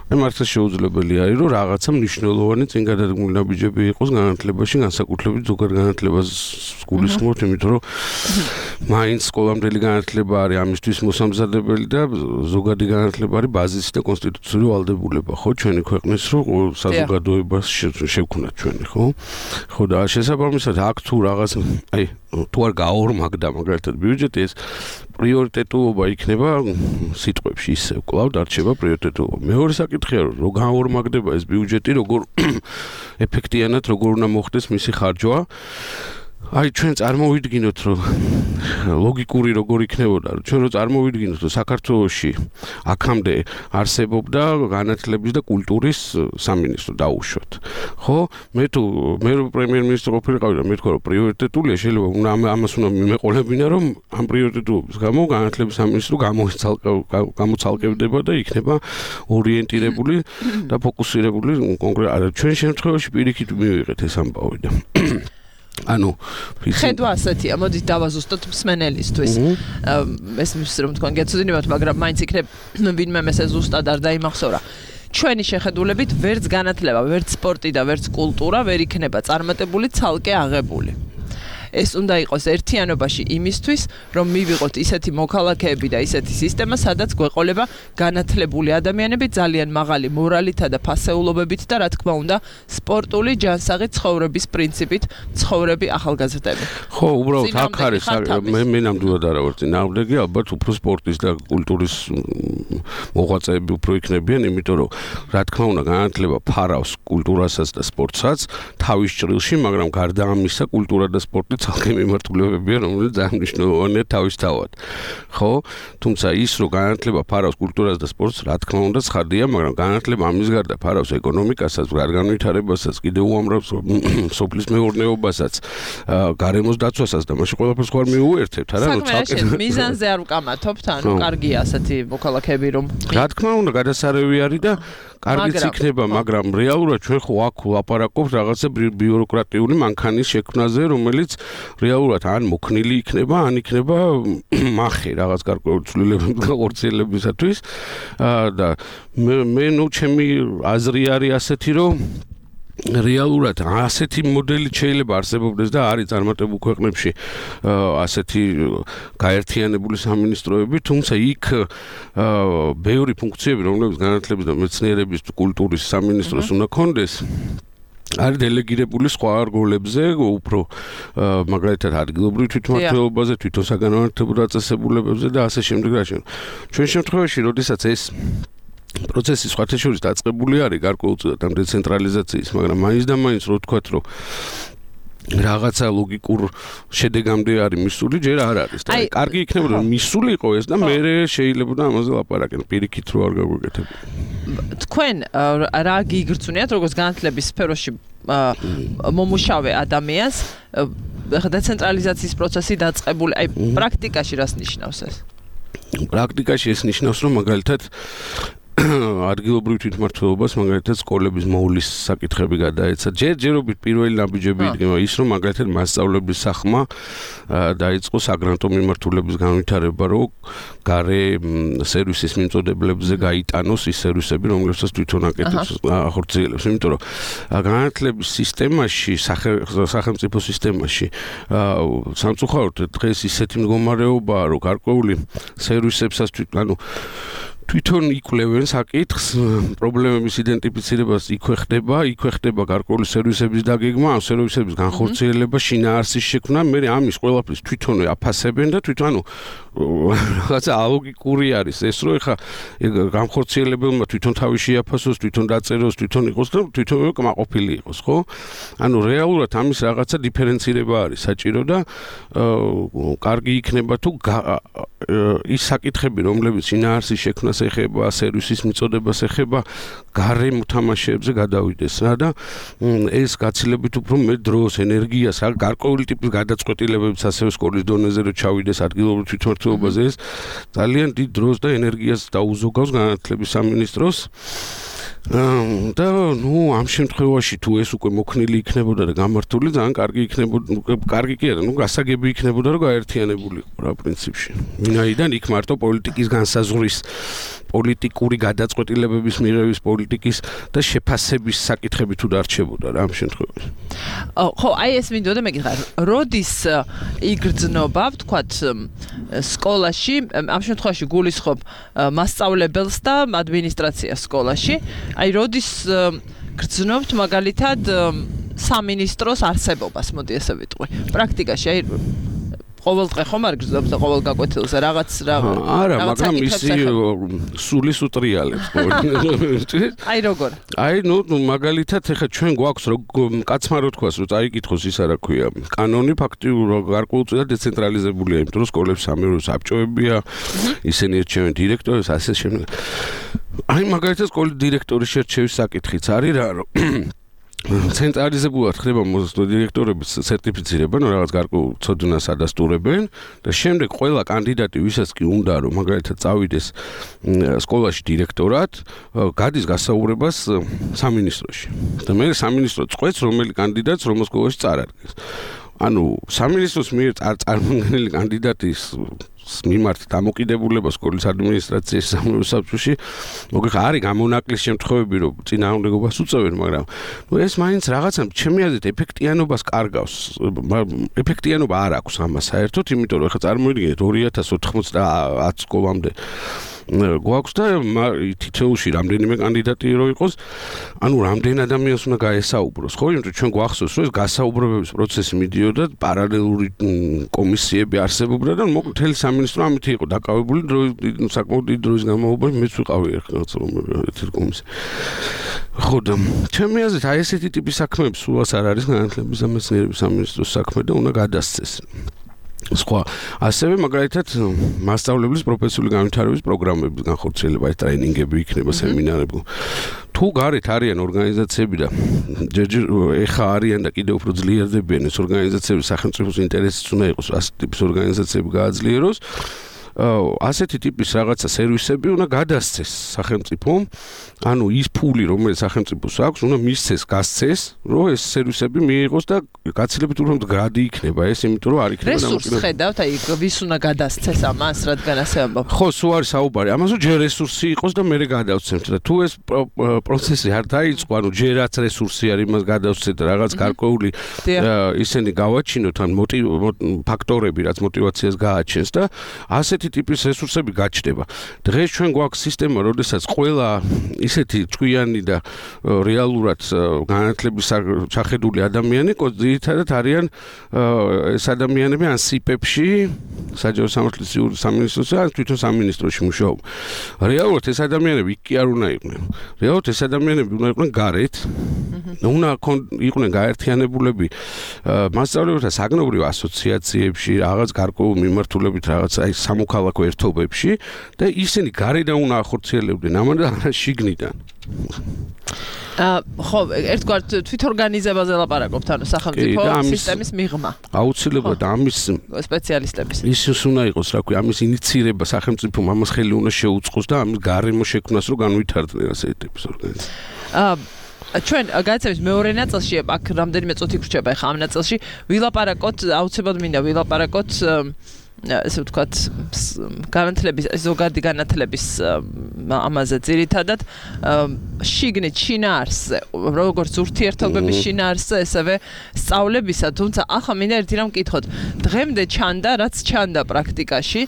მე მართლა შეუძლებელი არის რომ რაღაცა მნიშვნელოვანი წინ გადადგმული ნაბიჯები იყოს განათლებაში, განსაკუთრებით ზოგად განათლებას გულისხმობთ, იმიტომ რომ მაინც სკოლამდელი განათლება არის ამისთვის მოსამზადებელი და ზოგადი განათლება არის ბაზისი და კონსტიტუციური ვალდებულება, ხო, ჩვენი ქვეყნის რო საზოგადოებას შევქვნათ ჩვენი, ხო? ხო და შესაბამისად აქ თუ რაღაც აი თუ არ გაორმაგდა მაგალითად ბიუჯეტი ეს პრიორიტეტულობა იქნება სიტყვებში ისე კვლავ დარჩება პრიორიტეტულობა. მეორე საკითხია რომ რო გაორმაგდება ეს ბიუჯეტი როგორ ეფექტიანად როგორ უნდა მოხდეს მისი ხარჯვა აი ჩვენ წარმოვიდგინოთ რომ ლოგიკური როგორ იქნებოდა რომ ჩვენ რო წარმოვიდგინოთ რომ საქართველოში აქამდე არსებობდა განათლების და კულტურის სამინისტრო დაუშვათ ხო მე თუ მე პრემიერ-მინისტრი ყოფილიყავი და მე თქვა რომ პრიორიტეტულია შეიძლება უნდა ამას უნდა მიმეყოლებინა რომ ამ პრიორიტეტულობის გამო განათლების სამინისტრო გამოცალკევდება და იქნება ორიენტირებული და ფოკუსირებული კონკრეტულად ჩვენ შემთხვევაში პირიქით მივიღეთ ეს ამბავი და ანუ ხედვა ასეთია, მოდით დავაზუსტოთ მსმენელისთვის. ეს მის რომ თქვენ გეცოდინებათ, მაგრამ მაინც იქნებ ვინმე ესე ზუსტად არ დაიმახსოვრა. ჩვენი შეხედულებით ვერც განათლება, ვერც სპორტი და ვერც კულტურა ვერ იქნება წარმატებული ცალკე აღებული. ეს უნდა იყოს ერთიანობაში იმისთვის, რომ მივიღოთ ისეთი მოქალაქეები და ისეთი სისტემა, სადაც გვეყოლება განათლებული ადამიანები ძალიან მაღალი მორალითა და ფასეულობებით და რა თქმა უნდა, სპორტული ჯანსაღი ცხოვრების პრინციპით ცხოვრები ახალგაზრდები. ხო, უბრალოდ აქ არის მე მე ნამდვილად არა ვარ წინააღმდეგი, ალბათ უფრო სპორტის და კულტურის მოღვაწეები უფრო იქნებიან, იმიტომ რომ რა თქმა უნდა, განათლება ფარავს კულტურასაც და სპორტსაც თავის ჭრილში, მაგრამ გარდა ამისა, კულტურა და სპორტი ცალკე მიმართულებებია, რომელიც ძალიან მნიშვნელოვანია თავისთავად. ხო? თუმცა ის, რომ განათლება ფარავს კულტურას და სპორტს, რა თქმა უნდა, ცხადია, მაგრამ განათლება ამის გარდა ფარავს ეკონომიკასაც, განვითარებასაც, კიდევ უამრავ სოფლის მეურნეობასაც, გარემოს დაცვასაც და მაშინ ყველაფერს ხوار მიუერთებთ, არა? რომ ცალკე მიზანზე არ ვკამათობთ, ანუ კარგია ასეთი მოქალაქეები, რომ რა თქმა უნდა, გადასარევი არის და კარგიც იქნება, მაგრამ რეალურად ჩვენ ხო აქ ვლაპარაკობთ რაღაცა ბიუროკრატიული მანქანის შექმნაზე, რომელიც რეალურად ან მოქნილი იქნება, ან იქნება მახე რაღაც გარკვეული ცვლილებების გახორციელებისათვის და მე მე ნუ ჩემი აზრი არის ასეთი, რომ რეალურად ასეთი მოდელი შეიძლება არსებობდეს და არის წარმატებულ ქვეყნებში ასეთი გაერთიანებული სამინისტროები, თუმცა იქ ბევრი ფუნქციები, რომლებიც განათლების და მეცნიერების კულტურის სამინისტროს უნდა ქონდეს, არის დელეგირებული სხვა რგოლებზე, უფრო მაგალითად ადგილობრივ თვითმმართველობაზე, თვითონ საგანმანათლებლო დაწესებულებებზე და ასე შემდეგ და ასე. ჩვენ შემთხვევაში, როდესაც ეს პროცესი სხვათა შორის დაწყებული არის გარკვეულწილად ამ დეცენტრალიზაციის, მაგრამ მაინც და მაინც რო ვთქვათ, რომ რაღაცა ლოგიკურ შედეგამდე არის მისული, ჯერ არ არის. და კარგი იქნებოდა რომ მისული იყო ეს და მე შეიძლებოდა ამაზე ლაპარაკენ, პირიქით რო არ გაგვეკეთებია. თქვენ რა გიგრძნიათ, როგორც განათლების სფეროში მომუშავე ადამიანს, დეცენტრალიზაციის პროცესი დაწყებული, აი პრაქტიკაში რას ნიშნავს ეს? პრაქტიკაში ეს ნიშნავს, რომ მაგალითად ადგილობრივ თვითმმართველობას მაგალითად სკოლების მოვლის საკითხები გადაეცა. ჯერჯერობით პირველი ნაბიჯები იდგება ის, რომ მაგალითად მასწავლებლის სახმა დაიწყო საგრანტო მიმართულების განვითარება, რომ გარე სერვისის მიმწოდებლებზე გაიტანოს ის სერვისები, რომლებსაც თვითონ აკეთებს ახორციელებს. იმიტომ რომ განათლების სისტემაში, სახელმწიფო სისტემაში სამწუხაროდ დღეს ისეთი მდგომარეობაა, რომ გარკვეული სერვისებსაც ანუ თვითონ იკვლევენ საკითხს, პრობლემების იდენტიფიცირებას იქვე ხდება, იქვე ხდება გარკვეული სერვისების დაგეგმა, ამ სერვისების განხორციელება, შინაარსის შექმნა, მე ამის ყველაფრის თვითონვე აფასებენ და თვითონ ანუ რაღაცა ალოგიკური არის ეს, რომ ეხა განხორციელებელმა თვითონ თავი შეაფასოს, თვითონ დაწეროს, თვითონ იყოს და თვითონვე კმაყოფილი იყოს, ხო? ანუ რეალურად ამის რაღაცა დიფერენცირება არის საჭირო და კარგი იქნება თუ ის საკითხები, რომლებიც შინაარსის შექმნას ეხება, სერვისის მიწოდებას ეხება, გარე მოთამაშეებზე გადავიდეს რა და ეს გაცილებით უფრო მეტ დროს, ენერგიას, რა გარკვეული ტიპის გადაწყვეტილებებს ასევე სკოლის დონეზე რო ჩავიდეს ადგილობრივ თვითმმართველობაზე, ეს ძალიან დიდ დროს და ენერგიას დაუზოგავს განათლების სამინისტროს. და ნუ ამ შემთხვევაში თუ ეს უკვე მოქნილი იქნებოდა და გამართული, ძალიან კარგი იქნებოდა, კარგი კი არა, ნუ გასაგები იქნებოდა, რომ გაერთიანებული იყო რა პრინციპში. ვინაიდან იქ მარტო პოლიტიკის განსაზღვრის, პოლიტიკური გადაწყვეტილებების მიღების პოლიტიკის და შეფასების საკითხები თუ დარჩებოდა რა ამ შემთხვევაში. ხო, აი ეს მინდოდა მეკითხა, როდის იგრძნობა, ვთქვათ, სკოლაში, ამ შემთხვევაში გულისხმობ მასწავლებელს და ადმინისტრაციას სკოლაში, აი როდის გრძნობთ მაგალითად სამინისტროს არსებობას, მოდი ესე ვიტყვი. პრაქტიკაში აი ყოველდღე ხომ არ გრძნობთ და ყოველ გაკვეთილზე რაღაც რა არა, მაგრამ ისი სულის უტრიალებს. აი როგორ? აი ნუ მაგალითად ეხა ჩვენ გვაქვს კაცმა რო თქვას, რომ წაიკითხოს ის არა ქვია. კანონი ფაქტიურად გარკვეულწილად დეცენტრალიზებულია, იმიტომ რომ სკოლებს სამეურვე საბჭოებია, ისინი ერჩევენ დირექტორებს, ასე შემდეგ. აი მაგალითად სკოლის დირექტორის შერჩევის საკითხიც არის რა, რომ ცენტრალიზებულად ხდება დირექტორების სერტიფიცირება, ну რაღაც გარკვეულ ცოდნას ადასტურებენ და შემდეგ ყველა კანდიდატი, ვისაც კი უნდა რომ მაგალითად წავიდეს სკოლაში დირექტორად, გადის გასაუბრებას სამინისტროში. და მე სამინისტრო წყვეტს რომელი კანდიდატს რომელ სკოლაში წარადგეს. ანუ სამინისტროს მიერ წარმოქმნილი კანდიდატის მიმართ დამოკიდებულება სკოლის ადმინისტრაციის სამეურნეო საბჭოში მოგიხარ არის გამონაკლის შემთხვევები რომ წინააღმდეგობას უწევენ მაგრამ ნუ ეს მაინც რაღაცა ჩემი აზრით ეფექტიანობას კარგავს ეფექტიანობა არ აქვს ამას საერთოდ იმიტომ რომ ხა წარმოიდგინეთ ორი ათას ოთხმოცდაათ სკოლამდე გვაქვს და თითოეულში რამდენიმე კანდიდატი რო იყოს ანუ რამდენ ადამიანს უნდა გაესაუბროს ხო იმიტომ ჩვენ გვახსოვს რომ ეს გასაუბრებების პროცესი მიდიოდა პარალელური კომისიები არსებობდა და მთელი სამინისტრო ამით იყო დაკავებული საკმაოდ დიდი დროის განმავლობაში მეც ვიყავი რაღაც ერთ კომისიაში ხო და ჩემი აზრით აი ესეთი ტიპის საქმეები სულაც არ არის განათლების და მეცნიერების სამინისტროს საქმე და უნდა გადასცეს სხვა ასევე მაგალითად მასწავლებლის პროფესიული განვითარების პროგრამების განხორციელება ეს ტრეინინგები იქნება სემინარები თუ გარეთ არიან ორგანიზაციები და ჯერჯერ ეხა არიან და კიდევ უფრო ძლიერდებიან ეს ორგანიზაციები სახელმწიფოს ინტერესიც უნდა იყოს ასეთი ტიპის ორგანიზაციები გააძლიეროს ასეთი ტიპის რაღაცა სერვისები უნდა გადასცეს სახელმწიფომ ანუ ის ფული რომელიც სახელმწიფოს აქვს უნდა მისცეს გასცეს რომ ეს სერვისები მიიღოს და გაცილებით უფრო მდგრადი იქნება ეს იმიტომ რომ არ იქნება რესურსს ხედავთ აი ვის უნდა გადასცეს ამას რადგან ასე ამბობ ხო სულ არის საუბარი ამას რომ ჯერ რესურსი იყოს და მე გადავცემთ და თუ ეს პროცესი არ დაიწყო ანუ ჯერაც რესურსი არის იმას გადავცეთ რაღაც გარკვეული ისინი გავაჩინოთ ან ფაქტორები რაც მოტივაციას გააჩენს და ასეთი ტიპის რესურსები გაჩნდება. დღეს ჩვენ გვაქვს სისტემა, როდესაც ყველა ისეთი ჭკვიანი და რეალურად განათლების ჩახედული ადამიანი, ძირითადად არიან ეს ადამიანები ან სიპებში, საჯარო სამართლის სამინისტროსა, ან თვითონ სამინისტროში მუშაობ. რეალურად ეს ადამიანები იქ კი არ უნდა იყვნენ. რეალურად ეს ადამიანები უნდა იყვნენ გარეთ. უნდა იყვნენ გაერთიანებულები მასწავლებელთა საგნობრივ ასოციაციებში, რაღაც გარკვეულ მიმართულებით, რაღაც აი სამოქალაქო ერთობებში და ისინი გარედან უნდა ახორციელებდნენ ამან და არა შიგნიდან. აა ხო, ერთგვარად თვითორგანიზებაზე ლაპარაკობთ, ანუ სახელმწიფო სისტემის მიღმა. აუცილებლად ამის სპეციალისტების. ის უნდა იყოს, რა ქვია, ამის ინიციირება სახელმწიფომ ამას ხელი უნდა შეუწყოს და ამის გარემო შექმნას რომ განვითარდნენ ასეთი ტიპის ორგანიზაცია. აა ჩვენ გადაცემის მეორე ნაწილში აქ რამდენიმე წუთი გრჩება ახლა ამ ნაწილში ვილაპარაკოთ აუცილებლად მინდა ვილაპარაკოთ ესე ვთქვათ განათლების ზოგადი განათლების ამაზე ძირითადად შიგნით შინაარსზე როგორც ურთიერთობების შინაარსზე ესევე სწავლებისა თუმცა ახლა მინდა ერთი რამ ვკითხოთ დღემდე ჩანდა რაც ჩანდა პრაქტიკაში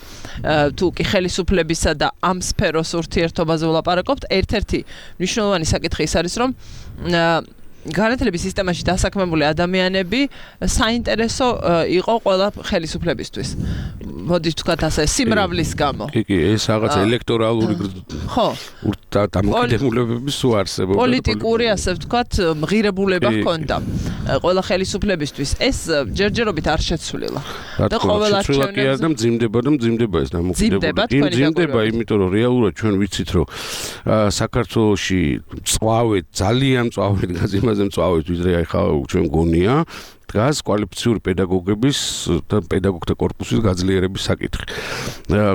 თუ კი ხელისუფლებისა და ამ სფეროს ურთიერთობაზე ვლაპარაკობთ ერთ-ერთი მნიშვნელოვანი საკითხი ის არის რომ განათლების სისტემაში დასაქმებული ადამიანები საინტერესო იყო ყველა ხელისუფლებისთვის. მოდით ვთქვათ ასე, სიმრავლის გამო. კი, კი, ეს რაღაც ელექტორალური ხო, დამოკიდებულებები სულ არსებობდა. პოლიტიკური, ასე ვთქვათ, მღირებულება ჰქონდა ყველა ხელისუფლებისთვის. ეს ჯერჯერობით არ შეცვლილა. და ყოველ არჩევნებზე და მძიმდება და მძიმდება ეს დამოკიდებულება. მძიმდება, იმიტომ რომ რეალურად ჩვენ ვიცით, რომ საქართველოში წვავეთ, ძალიან წვავეთ გაზიმა მწავეთ ვიდრე ახლა ჩვენ გონია დგას კვალიფიციური პედაგოგების და პედაგოგთა კორპუსის გაძლიერების საკითხი.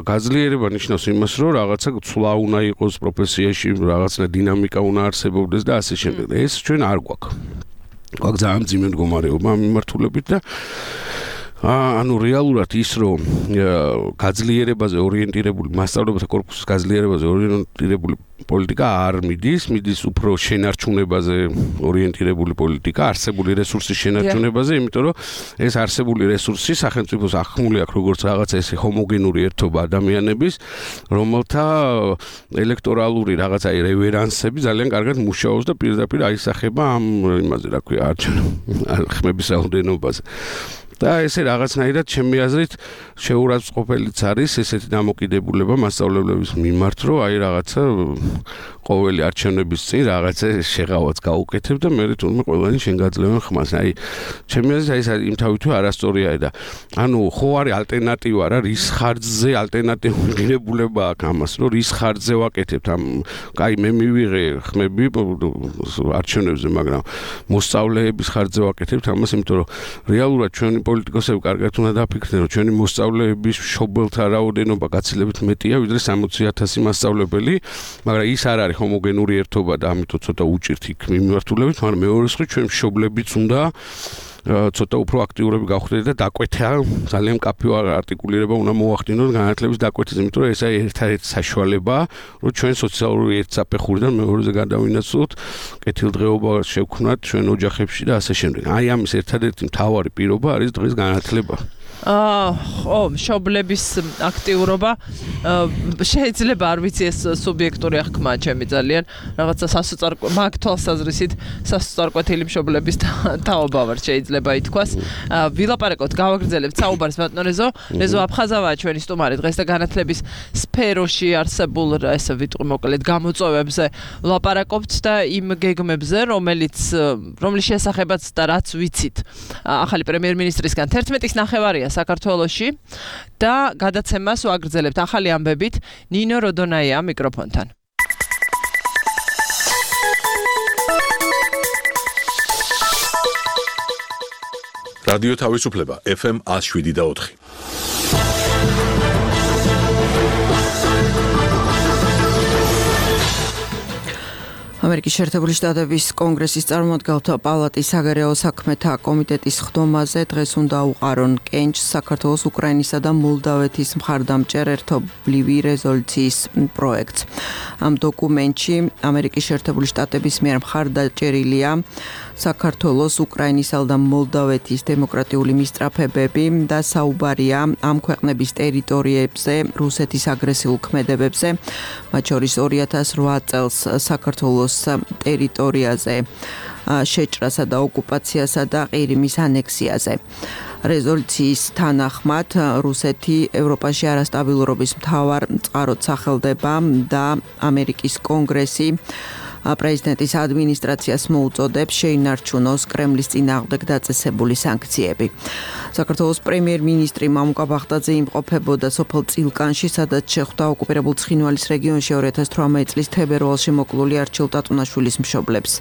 გაძლიერება ნიშნავს იმას, რომ რაღაცა ცვლა უნდა იყოს პროფესიაში, რაღაცა დინამიკა უნდა არსებობდეს და ასე შემდეგ. ეს ჩვენ არ გვაქვს. გვაქვს ძალიან მძიმე მდგომარეობა მიმართულებით და ანუ რეალურად ის რომ გაძლიერებაზე ორიენტირებული მასწავლებელთა კორპუსის გაძლიერებაზე ორიენტირებული პოლიტიკა არ მიდის, მიდის უფრო შენარჩუნებაზე ორიენტირებული პოლიტიკა, არსებული რესურსის შენარჩუნებაზე, იმიტომ რომ ეს არსებული რესურსი სახელმწიფოს ახმული აქვს როგორც რაღაცა ესე ჰომოგენური ერთობა ადამიანების, რომელთა ელექტორალური რაღაცა რევერანსები ძალიან კარგად მუშაობს და პირდაპირ აისახება ამ იმაზე, რა ქვია, ხმების რაოდენობაზე. და ესე რაღაცნაირად ჩემი აზრით შეურაცხყოფელიც არის ესეთი დამოკიდებულება მასწავლებლების მიმართ, რომ აი რაღაცა ყოველი არჩევნების წინ რაღაცა შეღავაც გაუკეთებ და მე თვითონ ყველანი შენ გაძლევენ ხმას. აი ჩემი აზრით ეს იმ თავითვე არასტორია და ანუ ხო არის ალტერნატივა რა რის ხარჯზე ალტერნატიული ღირებულება აქვს ამას, რომ რის ხარჯზე ვაკეთებთ ამ აი მე მივიღე ხმები არჩევნებზე, მაგრამ მოსწავლეების ხარჯზე ვაკეთებთ ამას, იმიტომ რომ რეალურად ჩვენი პოლიტიკოსები კარგად უნდა დაფიქრდნენ, რომ ჩვენი მოსწავლეების მშობელთა რაოდენობა გაცილებით მეტია, ვიდრე სამოცი ათასი მასწავლებელი, მაგრამ ის არ არის ჰომოგენური ერთობა და ამიტომ ცოტა უჭირთ იქ მიმართულებით, მაგრამ მეორე მხრივ ჩვენ მშობლებიც უნდა ცოტა უფრო აქტიურები გავხდეთ და დაკვეთა ძალიან მკაფიო არტიკულირება უნდა მოახდინოთ განათლების დაკვეთის, იმიტომ რომ ესაა ერთადერთი საშუალება, რომ ჩვენ სოციალური ერთსაფეხურიდან მეორეზე გადავინაცვლოთ, კეთილდღეობა შევქმნათ ჩვენ ოჯახებში და ასე შემდეგ. აი ამის ერთადერთი მთავარი პირობა არის დღეს განათლება. აა ხო, მშობლების აქტიურობა შეიძლება არ ვიცი ეს სუბიექტური აღქმა ჩემი ძალიან რაღაცა სასოწარკვე მაგ თვალსაზრისით სასოწარკვეთილი მშობლების თაობა ვარ შეიძლება ითქვას. ვილაპარაკოთ, გავაგრძელებთ საუბარს ბატონ რეზო. რეზო აფხაზავაა ჩვენი სტუმარი დღეს და განათლების სფეროში არსებულ ესე ვიტყვი მოკლედ გამოწვევებზე ვლაპარაკობთ და იმ გეგმებზე, რომელიც რომლის შესახებაც და რაც ვიცით. ახალი პრემიერ-მინისტრისგან თერთმეტის ნახევარია საქართველოში და გადაცემას ვაგრძელებთ ახალი ამბებით ნინო როდონაია მიკროფონთან. რადიო თავისუფლება ეფ ემ one oh seven და four. ამერიკის შეერთებული შტატების კონგრესის წარმომადგენელთა პალატის საგარეო საქმეთა კომიტეტის ხდომაზე დღეს უნდა უყარონ კენჭს საქართველოს, უკრაინისა და მოლდავეთის მხარდამჭერ ერთობლივი რეზოლუციის პროექტს. ამ დოკუმენტში ამერიკის შეერთებული შტატების მიერ მხარდაჭერილია საქართველოს, უკრაინისა და მოლდავეთის დემოკრატიული მისწრაფებები და საუბარია ამ ქვეყნების ტერიტორიებზე რუსეთის აგრესიულ ქმედებებზე, მათ შორის two thousand eight წელს საქართველოს ტერიტორიაზე შეჭრასა და ოკუპაციასა და ყირიმის ანექსიაზე. რეზოლუციის თანახმად რუსეთი ევროპაში არასტაბილურობის მთავარ წყაროდ სახელდება და ამერიკის კონგრესი პრეზიდენტის ადმინისტრაციას მოუწოდებს შეინარჩუნოს კრემლის წინააღმდეგ დაწესებული სანქციები. საქართველოს პრემიერ-მინისტრი მამუკა ბახტაძე იმყოფებოდა სოფელ წილკანში, სადაც შეხვდა ოკუპირებულ ცხინვალის რეგიონში two thousand eighteen წლის თებერვალში მოკლული არჩილ ტატუნაშვილის მშობლებს.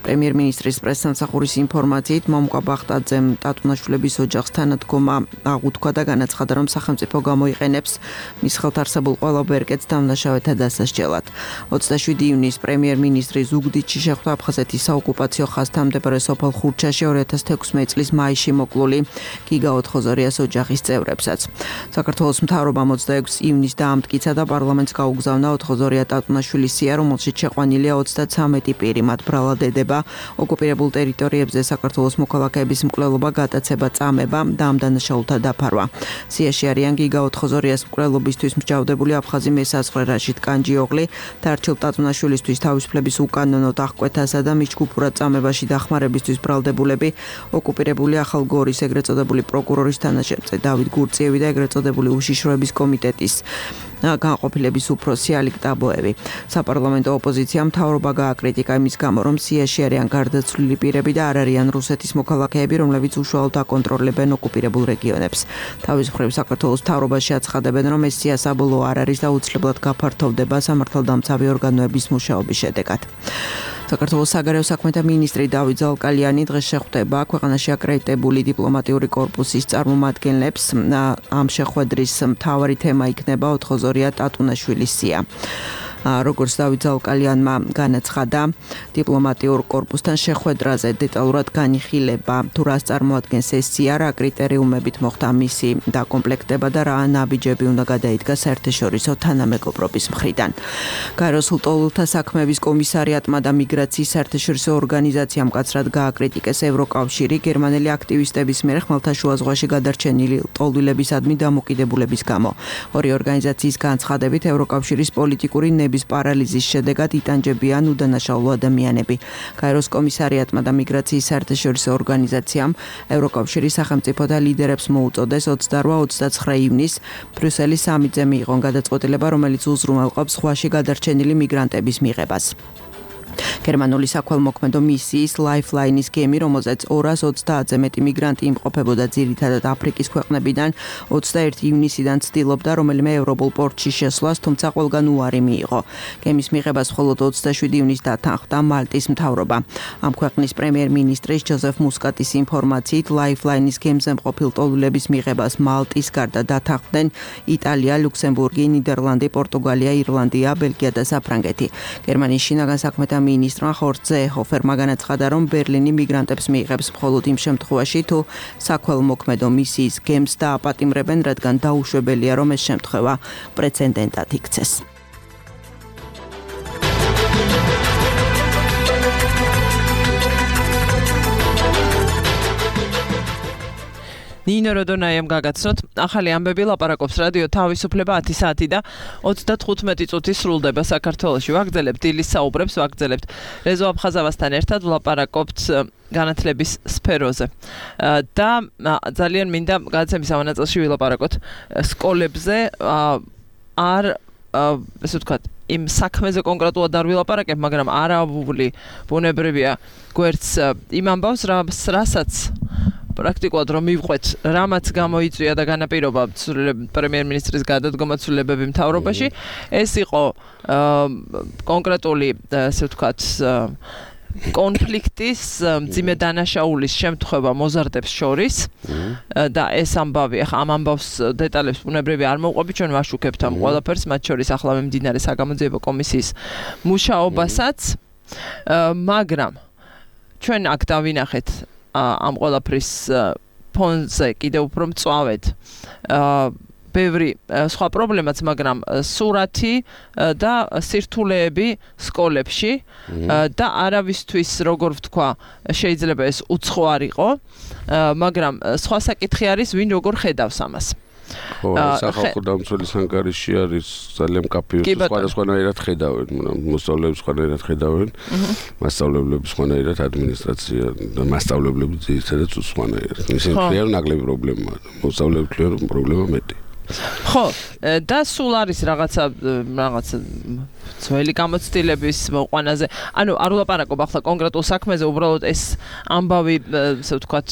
პრემიერ-მინისტრის პრესსამსახურის ინფორმაციით მამუკა ბახტაძემ ტატუნაშვილების ოჯახს თანადგომა აღუთქვა და განაცხადა, რომ სახელმწიფო გამოიყენებს მის ხელთ არსებულ ყველა ბერკეტს დამნაშავეთა დასასჯელად. twenty-seven ივნის პრემიერ-მინისტრი ზუგდიდში შეხვდა აფხაზეთის საოკუპაციო ხაზთან მდებარე სოფელ ხურჩაში two thousand sixteen წლის მაისში მოკლული გიგა ოთხოზორიას ოჯახის წევრებსაც. საქართველოს მთავრობამ twenty-six ივნის დაამტკიცა და პარლამენტს გაუგზავნა ოთხოზორია ტატუნაშვილის სია, რომელშიც შეყვანილია thirty-three პირი, მათ ბრალად ედება ოკუპირებულ ტერიტორიებზე საქართველოს მოქალაქეების მკვლელობა, გატაცება, წამება და ამ დანაშაულთა დაფარვა. სიაში არიან გიგა ოთხოზორიას მკვლელობისთვის მსჯავრდებული აფხაზი მესაზღვრე რაშიდ კანჯიოღლი და არჩილ ტატუნაშვილისთვის თავისუფლების უკანონოდ აღკვეთასა და მის ჯგუფურად წამებაში დახმარებისთვის ბრალდებულები, ოკუპირებული ახალგორის ეგრეთ წოდებული პროკურორის თანაშემწე დავით გურწიევი და ეგრეთ წოდებული უშიშროების კომიტეტის განყოფილების უფროსი ალიკ ტაბოევი. საპარლამენტო ოპოზიციამ მთავრობა გააკრიტიკა იმის გამო, რომ სიაში არიან გარდაცვლილი პირები და არ არიან რუსეთის მოქალაქეები, რომლებიც უშუალოდ აკონტროლებენ ოკუპირებულ რეგიონებს. თავის მხრივ საქართველოს მთავრობაში აცხადებენ, რომ ეს სია საბოლოო არ არის და უცლებლად გაფართოვდება სამართალდამცავი ორგანოების მუშაობის შედეგად. საქართველოს საგარეო საქმეთა მინისტრი დავით ზალკალიანი დღეს შეხვდება ქვეყანაში აკრედიტებული დიპლომატიური კორპუსის წარმომადგენლებს. ამ შეხვედრის მთავარი თემა იქნება ოთხოზორია ტატუნაშვილის სია. როგორც დავით ზალკალიანმა განაცხადა, დიპლომატიურ კორპუსთან შეხვედრაზე დეტალურად განიხილება თუ რას წარმოადგენს ეს სია, რა კრიტერიუმებით მოხდა მისი დაკომპლექტება და რა ნაბიჯები უნდა გადაიდგა საერთაშორისო თანამეგობრობის მხრიდან. გაეროს ლტოლვილთა საქმეების კომისარიატმა და მიგრაციის საერთაშორისო ორგანიზაციამ მკაცრად გააკრიტიკეს ევროკავშირი გერმანელი აქტივისტების მიერ ხმელთაშუა ზღვაში გადარჩენილი ლტოლვილებისადმი დამოკიდებულების გამო. ორი ორგანიზაციის განცხადებით ევროკავშირის პოლიტიკური ნების პარალიზის შედეგად იტანჯებიან უდანაშაულო ადამიანები. გაეროს კომისარიატმა და მიგრაციის საერთაშორისო ორგანიზაციამ ევროკავშირის სახელმწიფოთა ლიდერებს მოუწოდეს twenty-eight twenty-nine ივნის ბრიუსელის სამიტზე მიიღონ გადაწყვეტილება, რომელიც უზრუნველყოფს ზღვაში გადარჩენილი მიგრანტების მიღებას. გერმანული საქველმოქმედო მისიის Lifeline-ის გემი, რომელზეც two hundred twenty-ზე მეტი მიგრანტი იმყოფებოდა ძირითადად აფრიკის ქვეყნებიდან, twenty-first ივნისიდან ცდილობდა რომელიმე ევროპულ პორტში შესვლას, თუმცა ყველგან უარი მიიღო. გემის მიღებას მხოლოდ twenty-seven ივნის დათანხმდა მალტის მთავრობა. ამ ქვეყნის პრემიერ-მინისტრის ჯოზეფ მუსკატის ინფორმაციით, Lifeline-ის გემზე მყოფილ ლტოლვილების მიღებას მალტის გარდა დათანხმდნენ იტალია, ლუქსემბურგი, ნიდერლანდი, პორტუგალია, ირლანდია, ბელგია და საფრანგეთი. გერმანიის შინაგან საქმეთა მინისტრი მინისტრმა ხორცე ჰოფერმა განაცხადა, რომ ბერლინი მიგრანტებს მიიღებს მხოლოდ იმ შემთხვევაში, თუ საქველმოქმედო მისიის გემს დააპატიმრებენ, რადგან დაუშვებელია, რომ ეს შემთხვევა პრეცედენტად იქცეს. ნინო როდონაიამ გაგაცნოთ, ახალი ამბები ლაპარაკობს რადიო თავისუფლება ათი საათი და ოცდათხუთმეტი წუთი სრულდება საქართველოში. ვაგრძელებთ დილის საუბრებს, ვაგრძელებთ რეზო აფხაზავასთან ერთად ვლაპარაკობთ განათლების სფეროზე. და ძალიან მინდა გადაცემის ამ ნაწილში ვილაპარაკოთ სკოლებზე, არ ესე ვთქვათ, იმ საქმეზე კონკრეტულად არ ვილაპარაკებ, მაგრამ არააბული ბუნებრივია გვერდს იმ ამბავს, რასაც პრაქტიკულად რომ მივყვეთ, რამაც გამოიწვია და განაპირობა პრემიერ-მინისტრის გადადგომა ცვლილებები მთავრობაში, ეს იყო კონკრეტული, ასე ვთქვათ, კონფლიქტის მძიმე დანაშაულის შემთხვევა მოზარდებს შორის და ეს ამბავი, ახლა ამ ამბავს დეტალებს ბუნებრივია არ მოვყვებით, ჩვენ ვაშუქებთ ამ ყველაფერს, მათ შორის ახლა მიმდინარე საგამოძიებო კომისიის მუშაობასაც, მაგრამ ჩვენ აქ დავინახეთ ამ ყველაფრის ფონზე კიდევ უფრო მწვავედ ბევრი სხვა პრობლემაც, მაგრამ სურათი და სირთულეები სკოლებში და არავისთვის, როგორ ვთქვა, შეიძლება ეს უცხო არ იყო, მაგრამ სხვა საკითხი არის, ვინ როგორ ხედავს ამას. ხო, სახალხო დამცველის ანგარიში არის ძალიან კაფეო, სხვადასხვანაირად ხედავენ, მოსწავლეებს სხვანაირად ხედავენ, მასწავლებლებს სხვანაირად, ადმინისტრაცია და მასწავლებლები ძირითადად სხვანაირად. ისინი ქრიან ნაკლები პრობლემაა, მოსწავლეებს ქრიან პრობლემა მეტი. ხო, და სულ არის რაღაცა რაღაცა ძველი გამოცდილების მოყვანაზე. ანუ არ ვლაპარაკობ ახლა კონკრეტულ საქმეზე, უბრალოდ ეს ამბავი, ასე ვთქვათ,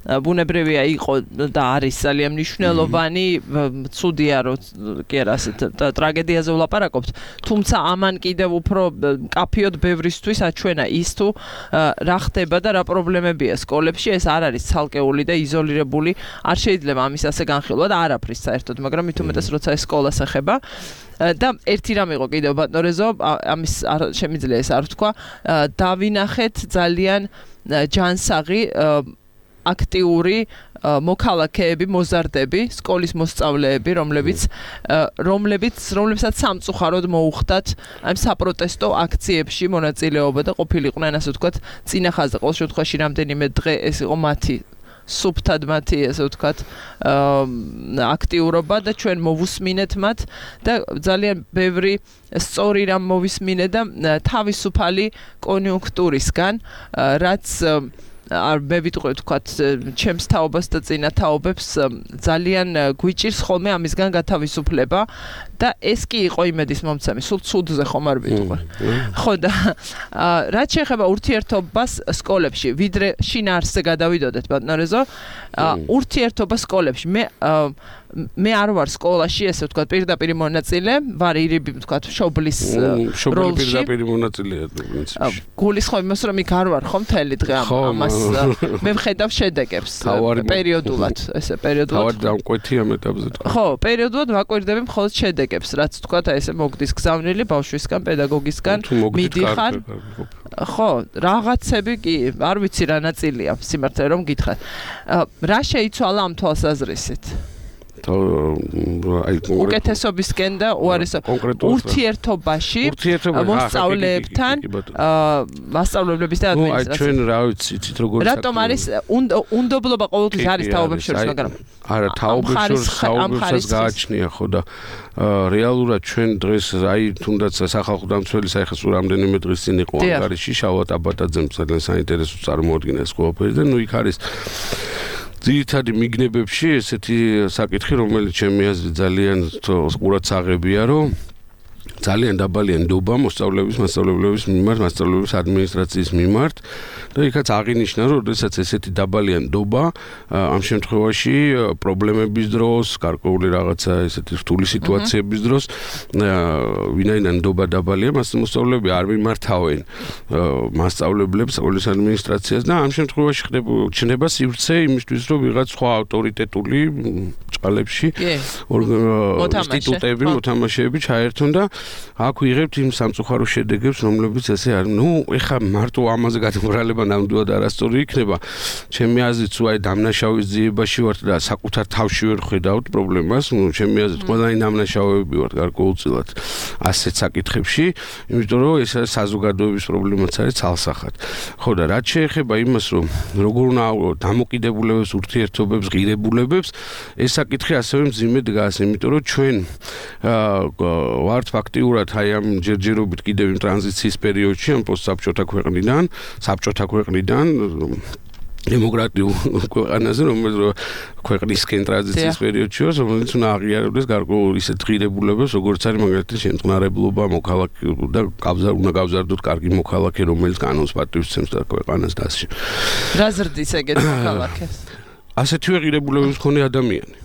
ბუნებრივია იყო და არის ძალიან მნიშვნელოვანი, ცუდია რომ კი არა ასეთ ტრაგედიაზე ვლაპარაკობთ, თუმცა ამან კიდევ უფრო კაფეოდ ბევრისთვის აჩვენა ის თუ რა ხდება და რა პრობლემებია სკოლებში, ეს არ არის ცალკეული და იზოლირებული, არ შეიძლება ამის ასე განხილვა და არაფრის საერთოდ, მაგრამ მით უმეტეს როცა ეს სკოლას ეხება და ერთი რამ იყო კიდევ ბატონო რეზო, ამის შემიძლია ეს არ ვთქვა, დავინახეთ ძალიან ჯანსაღი აქტიური მოქალაქეები, მოზარდები, სკოლის მოსწავლეები, რომლებიც რომლებიც რომლებსაც სამწუხაროდ მოუხდათ ამ საპროტესტო აქციებში მონაწილეობა და ყოფილიყვნენ, ასე ვთქვათ, წინა ხაზზე. ყოველ შემთხვევაში რამდენიმე დღე ეს იყო მათი სუფთად მათი, ასე ვთქვათ, აქტიურობა და ჩვენ მოვუსმინეთ მათ და ძალიან ბევრი სწორი რამ მოვისმინეთ და თავისუფალი კონიუნქტურისგან, რაც არ მე ვიტყვი ვთქვათ, ჩემს თაობას და წინა თაობებს ძალიან გვიჭირს ხოლმე ამისგან გათავისუფლება და ეს კი იყო იმედის მომცემი, სულ ცუდზე ხომ არ ვიტყვი. ხო და რაც შეეხება ურთიერთობას სკოლებში, ვიდრე შინაარსზე გადავიდოდეთ, ბატონო რეზო, ურთიერთობა სკოლებში, მე მე არ ვარ სკოლაში, ესე ვთქვათ, პირდაპირ მონაწილე, ვარ ირიბი, ვთქვათ, შობლის როლში. პირდაპირ მონაწილეა პრინციპში. გულისხმობ იმას, რომ იქ არ ვარ ხო მთელი დღე ამას მე ვხედავ შედეგებს პერიოდულად, ესე პერიოდულად. თავად დამკვეთი ამ ეტაპზე. ხო, პერიოდულად ვაკვირდები მხოლოდ შედეგებს, რაც ვთქვათ, აი ესე მოგდის გზავნილი ბავშვისგან, პედაგოგისგან, მიდიხარ. ხო, რაღაცები კი, არ ვიცი რა ნაწილია, სიმართლე რომ გითხრათ. რა შეიცვალა ამ თვალსაზრისით? უკეთესობისკენ და უარესო ურთიერთობაში მოსწავლეებთან, მასწავლებლების და ადმინისტრაციას. აი ჩვენ რა ვიცი, იცით როგორ საქმეა. რატომ არის უნდობლობა ყოველთვის არის თაობებს შორის, მაგრამ არა, თაობებს შორის თაობებსაც გააჩნია ხო და რეალურად ჩვენ დღეს აი თუნდაც სახალხო დამცველის აი ხა სულ რამდენიმე დღის წინ იყო ანგარიში, შავად აბატაძემ ძალიან საინტერესო წარმოადგინა ეს ყველაფერი და ნუ იქ არის ძირითადი მიგნებებში ესეთი საკითხი, რომელიც ჩემი აზრით ძალიან ყურადსაღებია, რომ ძალიან დაბალია ნდობა მოსწავლეების, მასწავლებლების მიმართ, მასწავლებლების ადმინისტრაციის მიმართ და იქაც აღინიშნა, რომ როდესაც ესეთი დაბალია ნდობა, ამ შემთხვევაში პრობლემების დროს, გარკვეული რაღაცა ესეთი რთული სიტუაციების დროს, ვინაიდან ნდობა დაბალია, მასწავლებლები არ მიმართავენ მასწავლებლებს, სკოლის ადმინისტრაციას და ამ შემთხვევაში ხდება სივრცე იმისთვის, რომ ვიღაც სხვა ავტორიტეტული ჭყალებში ინსტიტუტები, მოთამაშეები ჩაერთონ და აქ ვიღებთ იმ სამწუხარო შედეგებს, რომლებიც ესე არის. ნუ ეხა მარტო ამაზე გადამრალება ნამდვილად არასწორი იქნება. ჩემი აზრით, თუ აი დამნაშავის ძიებაში ვართ და საკუთარ თავში ვერ ხედავთ პრობლემას, ნუ ჩემი აზრით, ყველანი დამნაშავეები ვართ გარკვეულწილად ასეთ საკითხებში, იმიტომ რომ ეს არის საზოგადოების პრობლემაც არის ცალსახად. ხო და რაც შეეხება იმას, რომ როგორ უნდა ავიღოთ დამოკიდებულებებს, ურთიერთობებს, ღირებულებებს, ეს საკითხი ასევე მძიმე დგას, იმიტომ რომ ჩვენ ვართ ფაქტიურად აი ამ ჯერჯერობით კიდევ იმ ტრანზიციის პერიოდში, ამ პოსტსაბჭოთა ქვეყნიდან, საბჭოთა ქვეყნიდან დემოკრატიულ ქვეყანაზე, რომელიც ქვეყნისკენ ტრანზიციის პერიოდში, რომელიც უნდა აღიარებდეს გარკვეულ ისეთ ღირებულებებს, როგორც არის მაგალითად შემწყნარებლობა, მოქალაქე და გავზარ უნდა გავზარდოთ კარგი მოქალაქე, რომელიც კანონს პატივისცემს და ქვეყანას დასში. რა ზრდის ეგეთ მოქალაქეს? ასეთივე ღირებულებების მქონე ადამიანი.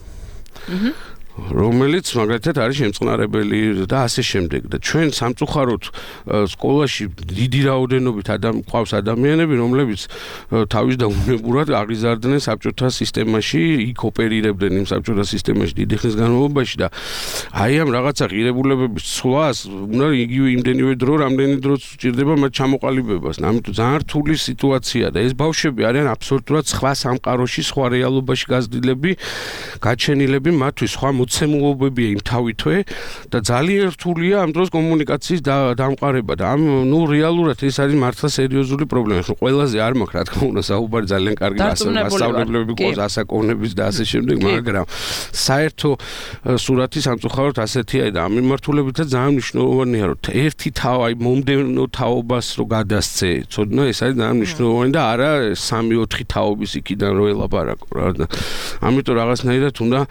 აჰა. რომელიც მაგალითად არის შემწყნარებელი და ასე შემდეგ და ჩვენ სამწუხაროდ სკოლაში დიდი რაოდენობით ადამიან ყავს ადამიანები რომლებიც თავის და უნებურად აღიზარდნენ საბჭოთა სისტემაში იქ ოპერირებდნენ იმ საბჭოთა სისტემაში დიდი ხნის განმავლობაში და აი ამ რაღაცა ღირებულებების ცვლას უნდა იგივე იმდენივე დრო რამდენი დროც სჭირდება მათ ჩამოყალიბებას ამიტომ ძალიან რთული სიტუაცია და ეს ბავშვები არიან აბსოლუტურად სხვა სამყაროში სხვა რეალობაში გაზრდილები გაჩენილები მათთვის სხვა მოცემულობებია იმ თავითვე და ძალიან რთულია ამ დროს კომუნიკაციის დამყარება და ამ ნუ რეალურად ეს არის მართლა სერიოზული პრობლემა. ხო ყველაზე არ მაქვს რა თქმა უნდა საუბარი ძალიან კარგი მასწავლებლები ყავს ასაკოვნების და ასე შემდეგ, მაგრამ საერთო სურათი სამწუხაროდ ასეთია და ამ მიმართულებითაც ძალიან მნიშვნელოვანია რომ ერთი თავ აი მომდევნო თაობას რო გადასცე. ცოდნა ეს არის ძალიან მნიშვნელოვანი და არა სამი ოთხი თაობის იქიდან რო ელაპარაკო რა და ამიტომ რაღაცნაირად უნდა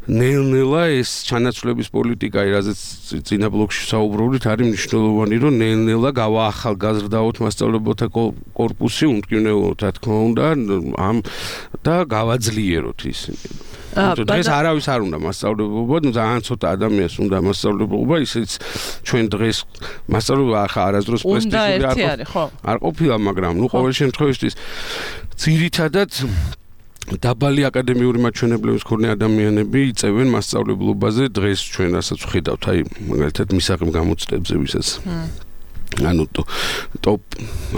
ნელ-ნელა ეს ჩანაცვლების პოლიტიკა, რაზეც წინა ბლოკში საუბრობდით, არის მნიშვნელოვანი, რომ ნელ-ნელა გავაახალგაზრდაოთ მასწავლებელთა კორპუსი, უმტკივნეულოთ, რა თქმა უნდა, ამ და გავაძლიეროთ ისინი. დღეს არავის არ უნდა მასწავლებლობა, ძალიან ცოტა ადამიანს უნდა მასწავლებლობა, ისიც ჩვენ დღეს მასწავლებლობა ახლა არასდროს პრესტიჟული არ ყოფილა, მაგრამ ნუ ყოველ შემთხვევაში ძირითადად დაბალი აკადემიური მაჩვენებლების მქონე ადამიანები იწევენ მასწავლებლობაზე დღეს ჩვენ რასაც ვხედავთ, აი მაგალითად მისაღებ გამოცდებზე ვისაც ანუ ტოპ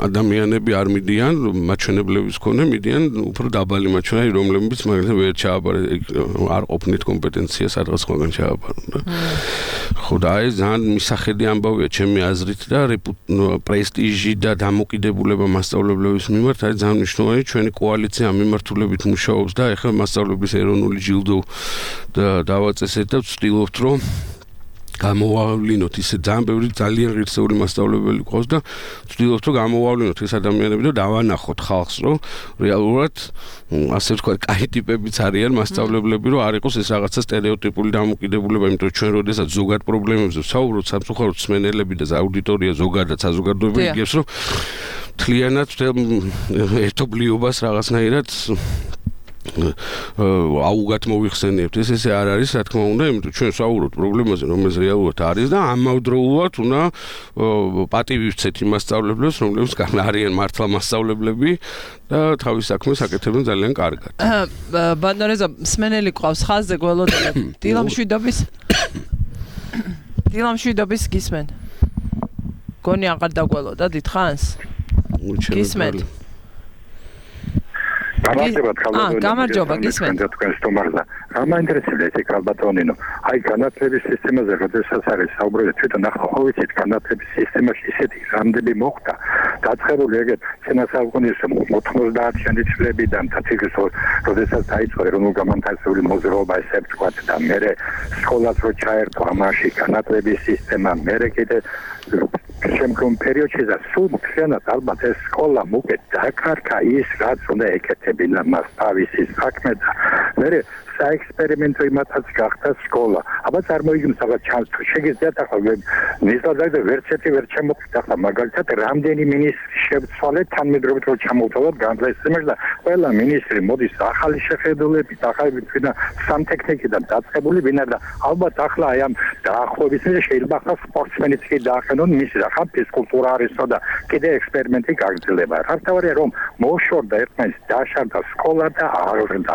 ადამიანები არ მიდიან მაჩვენებლების მქონე, მიდიან უფრო დაბალი მაჩვენებელი, რომლებიც მაგალითად ვერ ჩააბარეთ, არ ყოფნით კომპეტენცია სადღაც სხვაგან ჩააბარონ და ხო და აი ძალიან მისახედი ამბავია ჩემი აზრით და პრესტიჟი და დამოკიდებულება მასწავლებლების მიმართ არის ძალიან მნიშვნელოვანი. ჩვენი კოალიცია ამ მიმართულებით მუშაობს და ეხლა მასწავლებლების ეროვნული ჯილდო და დავაწესეთ და ვცდილობთ რომ გამოვავლინოთ ისე ძალიან ბევრი ძალიან ღირსეული მასწავლებელი ყავს და ვცდილობთ რომ გამოვავლინოთ ეს ადამიანები და დავანახოთ ხალხს რომ რეალურად ასე ვთქვათ კაი ტიპებიც არიან მასწავლებლები რომ არ იყოს ეს რაღაცა სტერეოტიპული დამოკიდებულება, იმიტომ რომ ჩვენ როდესაც ზოგად პრობლემებზე ვსაუბრობთ სამწუხაროდ მსმენელები და აუდიტორია ზოგადად საზოგადოება იგებს რომ მთლიანად ერთობლიობას რაღაცნაირად აუგად მოიხსენიებთ. ეს ესე არ არის, რა თქმა უნდა, იმიტომ ჩვენ საუბრობთ პრობლემაზე, რომელიც რეალურად არის და ამავდროულად უნდა პატივი ვცეთ იმ მასწავლებლებს, რომლებიც არიან მართლა მასწავლებლები და თავის საქმეს აკეთებენ ძალიან კარგად. ბანდორეზა მსმენელი ყავს ხაზზე გველოდებით. დილამშვიდობის დილამშვიდობის გისმენ. გონი აღარ დაგველოდა დიდხანს? გისმენთ. გამარჯობა ქალბატონო. გამარჯობა, გისმენთ. თქვენ სტუმარზე. რა მაინტერესებდა ეს ქალბატონინო? აი განათლების სისტემაზე როდესაც არის საუბრობთ, თვითონ ახლა ხო ვიცით განათლების სისტემაში ისეთი რამდენი მოხდა დაწყებული ეგეთ წინასაუკუნის ოთხმოცდაათიანი წლებიდან თათიგის როდესაც დაიწყო ეროვნულ გამანათლებლური მოძრაობა ესე ვთქვათ და მერე სკოლას რო ჩაერთო ამაში განათლების სისტემა, მერე კიდე შემდგომ პერიოდში და სულ მთლიანად ალბათ ეს სკოლა მოკეთ დაკარგა ის რაც უნდა ეკეთებინა მას თავისი საქმე და მერე საექსპერიმენტო იმათაც გახდა სკოლა. აბა წარმოიდგინეთ რაღაც ჩანს თუ შეგიძლიათ ახლა ნიზადაგ და ვერცეთი ვერ შემოხდა ახლა მაგალითად რამდენი მინისტრი შევცვალეთ თანმედროვე რო ჩამოვთვალოთ განათლების და ყველა მინისტრი მოდის ახალი შეხედულებით, ახალი თვითონ სამტექნიკიდან დაწყებული ვინა და ალბათ ახლა აი ამ დაახლოებით შეიძლება ახლა სპორტსმენიც კი დაახენონ მის ახლა ფიზკულტურა არისო და კიდე ექსპერიმენტი გაგრძელება. რასთავარია რომ მოშორდა ერთმანეთს დაშარდა სკოლა და აღზრდა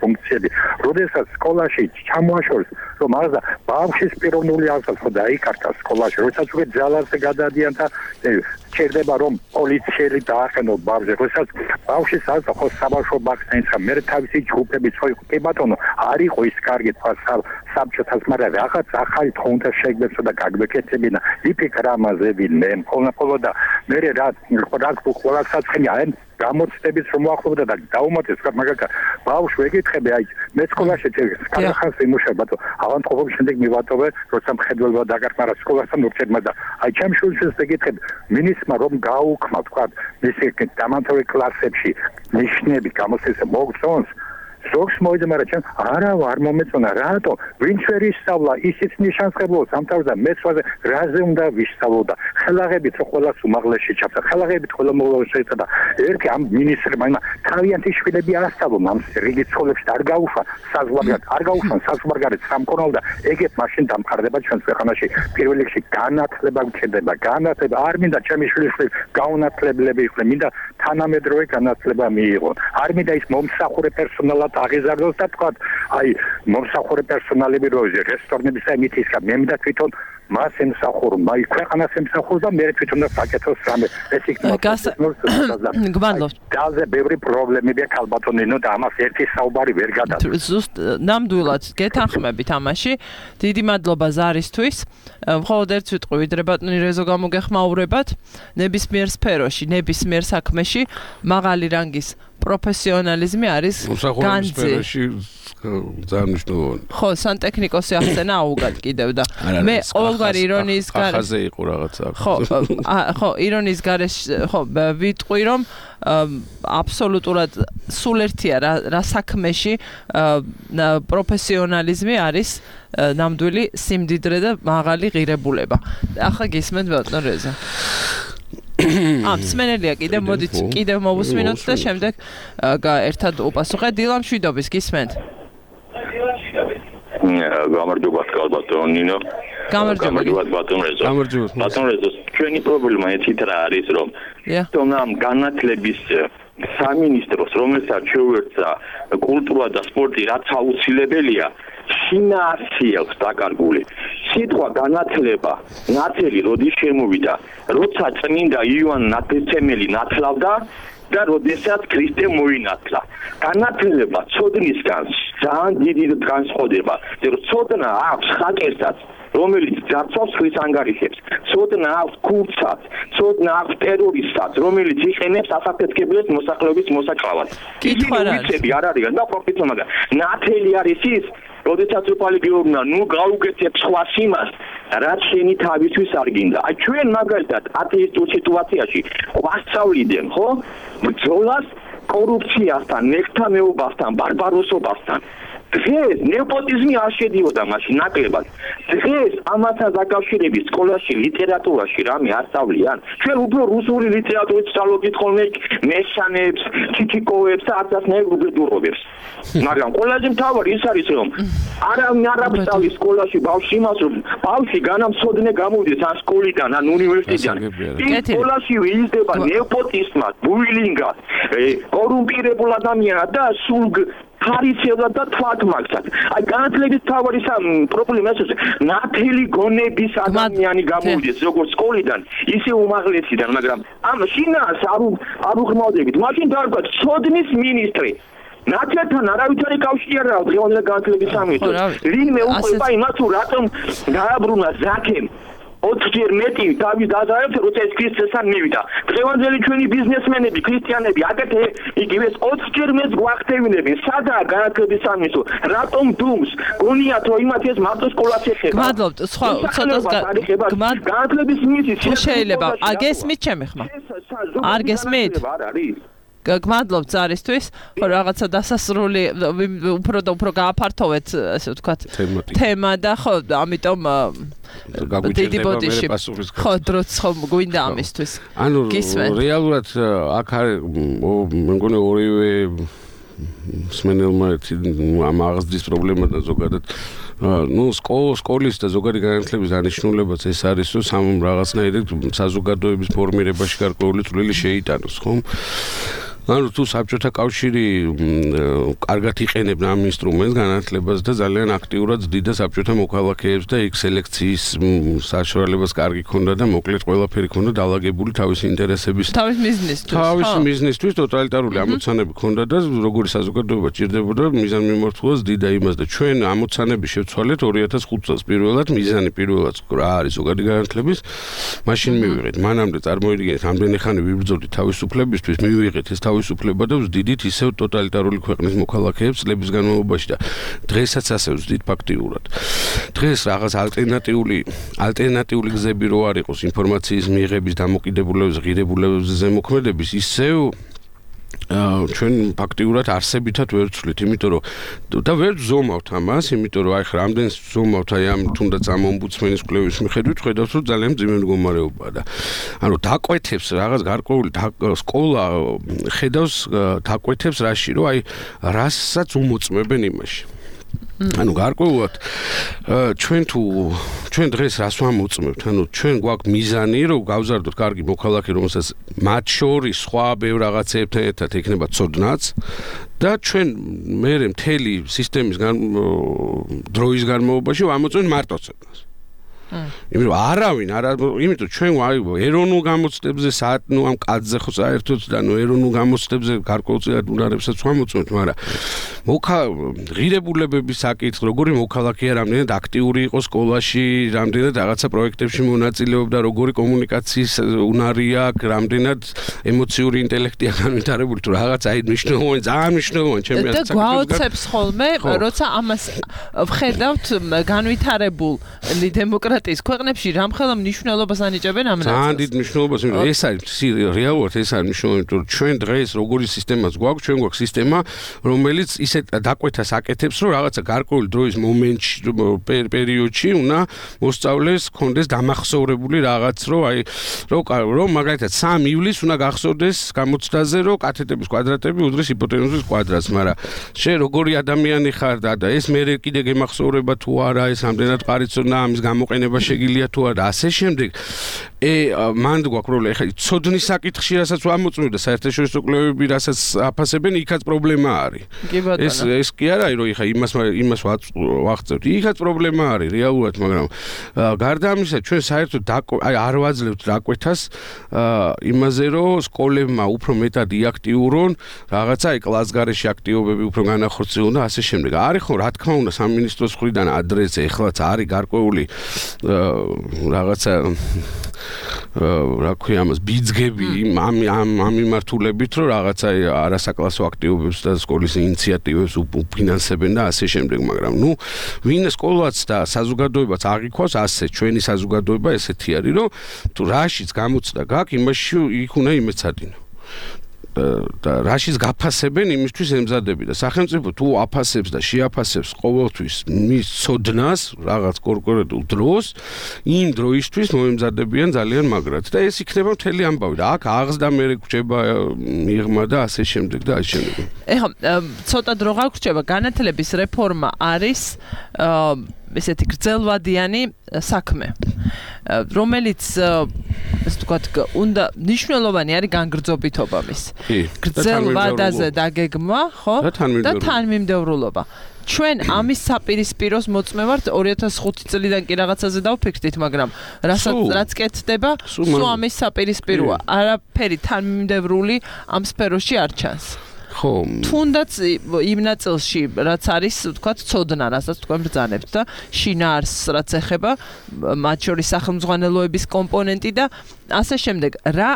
ფუნქციები. როდესაც სკოლაში ჩამოაშორეს რომ აღზა ბავშვის პიროვნული აღზრდა ხო დაიკარგა სკოლაში როდესაც უკვე ძალაზე გადადიან და ჩერდება რომ პოლიციელი დაახენო ბავშვს როდესაც ბავშვის აღზრდა ხო საბავშვო ბაღს დაიწყა მე თავისი ჯგუფები ხო კი ბატონო არ იყო ის კარგი თქვა საბჭოთას მაგრამ რაღაც ახალი თქო უნდა შეგებსო და გაგვეკეთებინა იფიქრა ამაზე ვინმე მხოლოდ და მე რა რა ყველა საცხენი აი გამოცდების რომ მოახლოვდა და დაუმატეს მაგაკა ბავშვი ეკითხები აი მე სკოლაში კარახას იმუშავე ბატონო ავანტყოფობის შემდეგ მივატოვე როცა მხედველობა დაგარყარა სკოლასთან ურთიერთობა და აი ჩემ შვილს ეკითხები მინისმა რომ გაუქმა თქვა მისი დამამთავრებელი კლასებში ნიშნები გამოსცეს მოგწონს ზოგს მოიძმარა ჩემ არა არ მომეწონა რატო ვინც ვერ ისწავლა ისიც ნიშანს ხებულობს ამ თავზე მეცვაზე რაზე უნდა ვისწავლოდა ხელაღებით რო ყველას უმაღლესში ჩაფთა ხელაღებით ყველა მოგლოვს შეეცადა ერთი ამ მინისტრმა იმა თავიანთი შვილები ასწავლონ ამ რიგი სკოლებში არ გაუშვა საზღვარგარეთ არ გაუშვან საზღვარგარეთ სამკურნალო და ეგეთ მაშინ დამყარდება ჩვენს ქვეყანაში პირველ რიგში განათლება გჭირდება განათლება არ მინდა ჩემი შვილები გაუნათლებლები იყვნენ მინდა თანამედროვე განათლება მიიღონ არ მინდა ის მომსახურე პერსონალად აღიზარდოს და თქვა აი მომსახურე პერსონალები როზე რესტორნების და მითის კა მე მინდა თვითონ მას ემსახურო მაი ქვეყანას ემსახურო და მე თვითონ და საკეთოს რამე ეს იქნება გმადლობთ ძალზე ბევრი პრობლემებია ქალბატონინო და ამას ერთი საუბარი ვერ გადადის ზუსტ ნამდვილად გეთანხმებით ამაში დიდი მადლობა ზარისთვის მხოლოდ ერთ სიტყვი ვიდრე ბატონი რეზო გამოგეხმაურებათ ნებისმიერ სფეროში ნებისმიერ საქმეში მაღალი რანგის პროფესიონალიზმი არის განძი. ძალიან მნიშვნელოვანი. ხო, სანტექნიკოსი ახსენა აუგად კიდევ და მე ყოველგვარი ირონიის გარეშე ხაზე იყო რაღაცა. ხო, ხო, ირონიის გარეშე ხო, ვიტყვი რომ აბსოლუტურად სულ ერთია რა რა საქმეში პროფესიონალიზმი არის ნამდვილი სიმდიდრე და მაღალი ღირებულება. ახლა გისმენთ ბატონ რეზა. ამ სმენელია კიდევ მოდით კიდევ მოვუსმინოთ და შემდეგ ერთად უპასუხეთ დილამ შვიდობის გისმენთ გამარჯობა ბატონინო გამარჯობა ბატონ რეზო ბატონ რეზო ჩვენი პრობლემა ეცით რა არის რომ თუმცა ამ განათლების სამინისტროს რომელსაც შეუერთდა კულტურა და სპორტი რაც აუცილებელია შინაარსი აქვს დაკარგული სიტყვა განათლება ნათელი როდის შემოვიდა როცა წმინდა იოან ნათლისმცემელი ნათლავდა და როდესაც ქრისტე მოინათლა განათლება ცოდნისგან ძალიან დიდი განსხვავდება რომ ცოდნა აქვს ხაკერსაც რომელიც ძარცავს ხვის ანგარიშებს ცოდნა აქვს ქურცაც ცოდნა აქვს ტერორისტსაც რომელიც იყენებს ასაფეთქებლებს მოსახლეობის მოსაკლავად კითხვა რა ვიცები არ არის და პროფიტო მაგრამ ნათელი არის ის როდესაც უპალი გეუბნა ნუ გაუგეთებ სხვა სიმას რაც შენი თავისთვის არ გინდა აი ჩვენ მაგალითად ათეისტურ სიტუაციაში ვასწავლიდან ხო ბრძოლას კორუფციასთან ნექთამეობასთან ბარბაროსობასთან დღეს ნეოპოტიზმი არ შედიოდა მაშინ ნაკლებად დღეს ამასაც დაკავშირებით სკოლაში ლიტერატურაში რამე არ სწავლიან ჩვენ უფრო რუსული ლიტერატურით სწავლობთ ხოლმე მეშანებს ჩიჩიკოვებს და არცასნაირ უბედურობებს მაგრამ ყველაზე მთავარი ის არის რომ არავინ არ აღწევს სკოლაში ბავშვი იმას რომ ბავშვი განამცოდნე გამოვიდეს ან სკოლიდან ან უნივერსიტეტიდან ის სკოლაში ვიზდება ნეოპოტიზმად ბულინგად კორუმპირებულ ადამიანად და სულ ფარისევლად და თვალთმაგსად. აი განათლების თავარი პრობლემა ეს ნათელი გონების ადამიანი გამოვიდეს როგორც სკოლიდან, ისე უმაღლესიდან, მაგრამ ამ შინას არ არ უღმავდებით. მაშინ დაარქვა ცოდნის მინისტრი. ნათელთან არავითარი კავშირი არ აქვს დღევანდელი განათლების სამინისტროს. ვინმე უყვება იმას თუ რატომ დააბრუნა ზაქემ ოთხჯერ მეტი თავის დაზარალებს როცა ეს ქრისტესთან მივიდა. დღევანდელი ჩვენი ბიზნესმენები, ქრისტიანები აკეთე იგივეს ოთხჯერ მეც გვახტევინებენ. სადაა განათლების სამინისტრო? რატომ დუმს? გონიათ რომ იმათ ეს მარტო სკოლას ეხება. გმადლობთ, სხვა ცოტას განათლების მინისტრი შეიძლება. აგესმით ჩემი ხმა. არ გესმით? არ არის. გმადლობთ ზარისთვის, ხო რაღაცა დასასრული უფრო და უფრო გააფართოვეთ, ასე ვთქვათ, თემა და ხო, ამიტომ დიდი ბოდიში ხო დროც ხო გვინდა ამისთვის. ანუ რეალურად აქ არის მე მგონი ორივე სმენელმა ამ აღზრდის პრობლემა და ზოგადად ну სკოლის და ზოგადი განათლების დანიშნულებაც ეს არის რომ სამ რაღაცნაირად საზოგადოების ფორმირებაში გარკვეული წვლილი შეიტანოს ხომ ანუ თუ საბჭოთა კავშირი კარგად იყენებდა ამ ინსტრუმენტს განათლებას და ძალიან აქტიურად ზდიდა საბჭოთა მოქალაქეებს და იქ სელექციის საშუალებას კარგი ქონდა და მოკლედ ყველაფერი ქონდა დაალაგებული თავისი ინტერესების თავის მიზნისთვის თავის მიზნისთვის ტოტალიტარული ამოცანები ქონდა და როგორი საზოგადოება ჭირდებოდა მიზანმიმართულად ზდიდა იმას და ჩვენ ამოცანები შევცვალეთ ორი ათას ხუთ წელს პირველად მიზანი პირველად რა არის ზოგადი განათლების მაშინ მივიღეთ მანამდე წარმოიდგინეთ ამდენი ხანი ვიბრძოდით თავისუფლებისთვის მივიღეთ ეს თავისუფლება და ვზდიდით ისევ ტოტალიტარული ქვეყნის მოქალაქეებს წლების განმავლობაში და დღესაც ასე ვზდით ფაქტიურად დღეს რაღაც ალტერნატიული ალტერნატიული გზები რო არ იყოს ინფორმაციის მიღების დამოკიდებულების ღირებულებებზე ზემოქმედების ისევ ჩვენ ფაქტიურად არსებითად ვერ ვცვლით, იმიტომ რომ და ვერ ვზომავთ ამას, იმიტომ რომ აი ხა რამდენს ვზომავთ აი ამ თუნდაც ამ ომბუდსმენის კვლევის მიხედვით, ხედავთ რომ ძალიან მძიმე მდგომარეობაა და ანუ დაკვეთებს რაღაც გარკვეული სკოლა ხედავს დაკვეთებს რაში, რომ აი რასაც უმოწმებენ იმაში. ანუ გარკვეულად ჩვენ თუ ჩვენ დღეს რას ვამოწმებთ? ანუ ჩვენ გვაქვს მიზანი, რომ გავზარდოთ კარგი მოქალაქე, რომელსაც მათ შორის სხვა ბევრ რაღაცებთან ერთად ექნება ცოდნაც და ჩვენ მერე მთელი სისტემის დროის განმავლობაში ვამოწმებთ მარტო ცოდნას. იმიტომ არავინ არა იმიტომ ჩვენ ეროვნულ გამოცდებზე საათ ნუ ამ კაცზე ხო საერთოდ და ნუ ეროვნულ გამოცდებზე გარკვეულწილად უნარებსაც ვამოწმებთ, მაგრამ მოქა ღირებულებების საკითხი, როგორი მოქალაქეა, რამდენად აქტიური იყო სკოლაში, რამდენად რაღაცა პროექტებში მონაწილეობდა, როგორი კომუნიკაციის უნარი აქვს, რამდენად ემოციური ინტელექტია განვითარებული, თუ რაღაც აი მნიშვნელოვანი, ძალიან მნიშვნელოვანი ჩემი აზრით. და გვაოცებს ხოლმე, როცა ამას ვხედავთ განვითარებულ დემოკრატიის ქვეყნებში რამხელა მნიშვნელობას ანიჭებენ ამ ნაწილს. ძალიან დიდ მნიშვნელობას, იმიტომ ეს არის რეალურად ეს არის მნიშვნელოვანი, რომ ჩვენ დღეს როგორი სისტემაც გვაქვს, ჩვენ გვაქვს სისტემა, რომელიც ისეთ დაკვეთას აკეთებს, რომ რაღაცა გარკვეული დროის მომენტში, პერიოდში უნდა მოსწავლეს კონდეს დამახსოვრებული რაღაც, რომ აი რომ რომ მაგალითად სამი ივლისს უნდა გახსოვდეს გამოცდაზე, რომ კათედრების კვადრატები უდრის ჰიპოტენუზის კვადრატს, მაგრამ შე როგორი ადამიანი ხარ და ეს მე კიდე გემახსოვრება თუ არა, ეს ამდენად ყარიცონა ამის გამოყენება შეგიძლია თუ არა, ასე შემდეგ. ე მანდ გვაქვს პრობლემა, ეხლა ცოდნის საკითხში რასაც ვამოწმებ და საერთაშორისო კვლევები რასაც აფასებენ, იქაც პრობლემა არის. ეს ეს კი არა, რომ ეხლა იმას იმას ვახცევთ. იქაც პრობლემა არის რეალურად, მაგრამ გარდა ამისა, ჩვენ საერთოდ აი არ ვაძლევთ დაკვეთას იმაზე, რომ სკოლებმა უფრო მეტად იაქტიურონ რაღაცა აი კლასგარეში აქტივობები უფრო განახორციელონ და ასე შემდეგ. არის ხო, რა თქმა უნდა, სამინისტროს მხრიდან ადრესზე ეხლაც არის გარკვეული რაღაცა რა ქვია ამას ბიძგები ამ ამ ამ მიმართულებით, რომ რაღაცა არასაკლასო აქტივობებს და სკოლის ინიციატივებს უფინანსებენ და ასე შემდეგ, მაგრამ ნუ ვინ სკოლაც და საზოგადოებაც აღიქვას ასე, ჩვენი საზოგადოება ესეთი არის, რომ თუ რაშიც გამოცდა გაქვს, იმაში იქ უნდა იმეცადინო. და რაშიც გაფასებენ იმისთვის ემზადები და სახელმწიფო თუ აფასებს და შეაფასებს ყოველთვის მის ცოდნას რაღაც კონკრეტულ დროს იმ დროისთვის მოემზადებიან ძალიან მაგრად და ეს იქნება მთელი ამბავი და აქ აღზრდა მე გვჭება მიღმა და ასე შემდეგ და ასე შემდეგ. ეხლა ცოტა დრო გაგვჭება განათლების რეფორმა არის ესეთი გრძელვადიანი საქმე, რომელიც ასე ვთქვათ, უნდა მნიშვნელოვანი არის განგრძობითობა მის. გრძელვადაზე დაგეგმვა, ხო? და თანმიმდევრულობა. ჩვენ ამის საპირისპიროს მოწმევართ ორი ათას ხუთი წლიდან კი რაღაცაზე დავფიქრდით, მაგრამ რასაც რაც კეთდება, სულ ამის საპირისპიროა. არაფერი თანმიმდევრული ამ სფეროში არ ჩანს. ხო. თუნდაც იმ ნაწილში, რაც არის, ვთქვათ, ცოდნა, რასაც თქვენ ბრძანებთ და შინაარსს რაც ეხება, მათ შორის სახელმძღვანელოების კომპონენტი და ასე შემდეგ. რა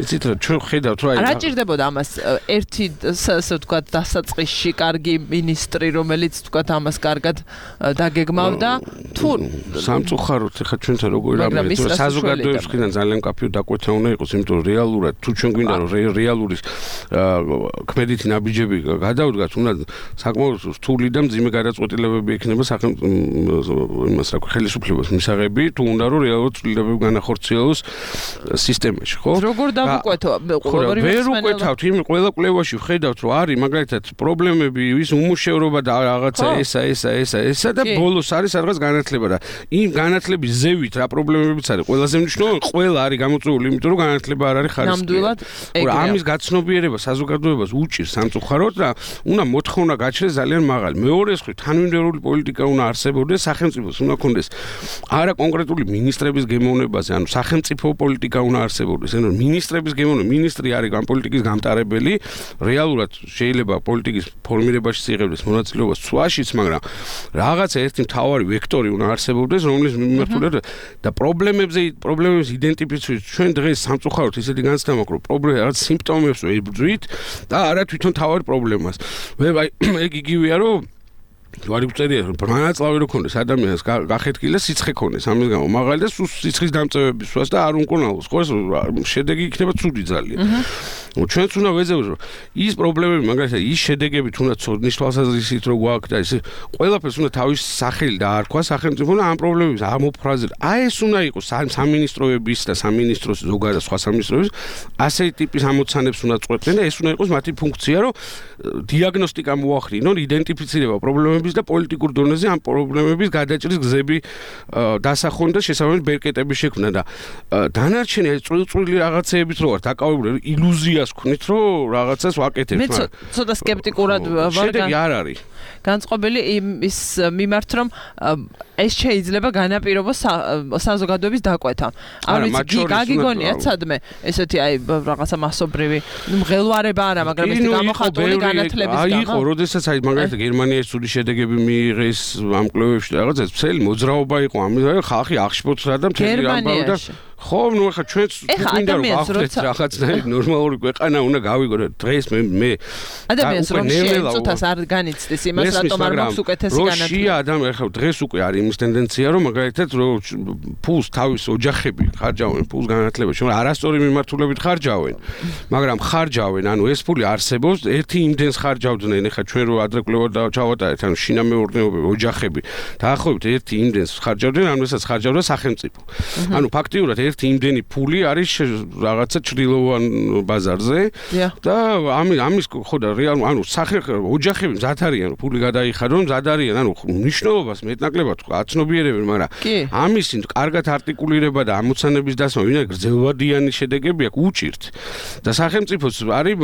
იცით რა ჩვენ ხედავთ რა რა ჭირდებოდა ამას ერთი ასე ვთქვათ დასაწყისში კარგი მინისტრი, რომელიც ვთქვათ ამას კარგად დაგეგმავდა თუ სამწუხაროდ ეხა ჩვენთან როგორი რამე საზოგადოების მხრიდან ძალიან მკაფიო დაკვეთა უნდა იყოს, იმიტომ რომ რეალურად თუ ჩვენ გვინდა რომ რეალური ქმედითი ნაბიჯები გადავდგათ, უნდა საკმაოდ რთული და მძიმე გადაწყვეტილებები ექნება სახელმწიფო იმას რა ქვია ხელისუფლებას მისაღები, თუ უნდა რომ რეალურად ცვლილებები განახორციელოს სისტემაში, ხო? როგორ დავუკვეთო? ვერ უკვეთავთ, იმ ყველა კვლევაში ვხედავთ, რომ არის მაგალითად პრობლემები, ვის უმუშევრობა და რაღაცა ესა, ესა, ესა, ესა და ბოლოს არის რაღაც განათლება და იმ განათლების ზევით რა პრობლემებიც არის. ყველაზე მნიშვნელოვანი, ყველა არის გამოწვეული, იმიტომ რომ განათლება არ არის ხარისხიანი. ნამდვილად ეგრეა. ამის გაცნობიერება საზოგადოებას უჭირს სამწუხაროდ და უნდა მოთხოვნა გაჩნდეს ძალიან მაღალი. მეორე მხრივ თანმიმდევრული პოლიტიკა უნდა არსებობდეს, სახელმწიფოს უნდა ქონდეს არა კონკრეტული მინისტრების გემოვნებაზე, ანუ სახელმწიფო პოლიტიკა უნდა არსებობდეს. ანუ მინისტრების გემოვნება, მინისტრი არის ამ პოლიტიკის გამტარებელი, რეალურად შეიძლება პოლიტიკის ფორმირებაში იღებდეს მონაწილეობას ცვლაშიც, მაგრამ რაღაცა ერთი მთავარი ვექტორი უნდა არსებობდეს, რომლის მიმართულებით და პრობლემებზე პრობლემების იდენტიფიცირებით ჩვენ დღეს სამწუხაროდ ისეთი განცდა მაქვს, რომ პრობლემა რაღაც სიმპტომებს ვებრძვით და არა თვითონ თავად პრობლემას. აი ეგ იგივეა, რომ ვარი ვწერია, რომ მანაწლავი რო ქონდეს ადამიანს გახეთქილი და სიცხე ქონდეს ამის გამო, მაგალი და სიცხის დამწევების სვას და არ უნკონალოს, ხო ეს შედეგი იქნება ცუდი ძალიან. ჩვენც უნდა ვეძებოთ, რომ ის პრობლემები, მაგალითად, ის შედეგები თუნდაც ცოდნის თვალსაზრისით რო გვაქვს და ეს ყველაფერს უნდა თავის სახელი დაარქვა სახელმწიფო და ამ პრობლემებს ამოფრაზება. აი ეს უნდა იყოს სამინისტროების და სამინისტროს ზოგადად სხვა სამინისტროების ასეთი ტიპის ამოცანებს უნდა წყვეტდნენ და ეს უნდა იყოს მათი ფუნქცია, რომ დიაგნოსტიკა მოახდინონ, იდენტიფიცირება პრობლემების და პოლიტიკურ დონეზე ამ პრობლემების გადაჭრის გზები დასახონ და შესაბამისად ბერკეტები შექმნა და დანარჩენი ეს წვრილი რაღაცეებით რო ვარ დაკავებული ილუზიას ვქნით, რომ რაღაცას ვაკეთებ. მე ცოტა სკეპტიკურად ვარ. შედეგი არ არის. განწყობილი ის მიმართ, რომ ეს შეიძლება განაპირობოს საზოგადოების დაკვეთა. არ ვიცი, გაგიგონიათ სადმე ესეთი აი რაღაცა მასობრივი მღელვარება არა, მაგრამ ეს გამოხატული განათლების გამო. აი, იყო, როდესაც აი მაგალითად გერმანიაში ცუდი შედეგები მიიღეს ამ კვლევებში და რაღაცა მთელი მოძრაობა იყო ამის, ხალხი აღშფოთდა და მთელი ამბავი და ხო, ნუ ახლა ჩვენც გვინდა რომ გავხდეთ რაღაცნაირი ნორმალური ქვეყანა უნდა გავიგო და დღეს მე მე ადამიანს რომ შეეწუთას არ განიცდის იმას რატომ არ მაქვს უკეთესი განათლება. როშია ადამიანი ახლა დღეს უკვე არის იმის ტენდენცია რომ მაგალითად რომ ფულს თავის ოჯახები ხარჯავენ ფულს განათლებაში, მაგრამ არასწორი მიმართულებით ხარჯავენ. მაგრამ ხარჯავენ, ანუ ეს ფული არსებობს, ერთი იმდენს ხარჯავდნენ, ახლა ჩვენ რო ადრე კვლევა და ჩავატარეთ, ანუ შინამეურნეობები, ოჯახები დაახლოებით ერთი იმდენს ხარჯავდნენ, ანუ ესაც ხარჯავდა სახელმწიფო. ანუ ფაქტიურად ერთი იმდენი ფული არის რაღაცა ჭრილოვან ბაზარზე და ამის ამის ხო და რეალურად ანუ სახალხო ოჯახები მზად არიან ფული გადაიხადონ, მზად არიან, ანუ მნიშვნელობას მეტნაკლებად აცნობიერებენ, მაგრამ ამის კარგად არტიკულირება და ამოცანების დასმა ვინაი გრძელვადიანი შედეგები აქვს უჭირთ და სახელმწიფოს არის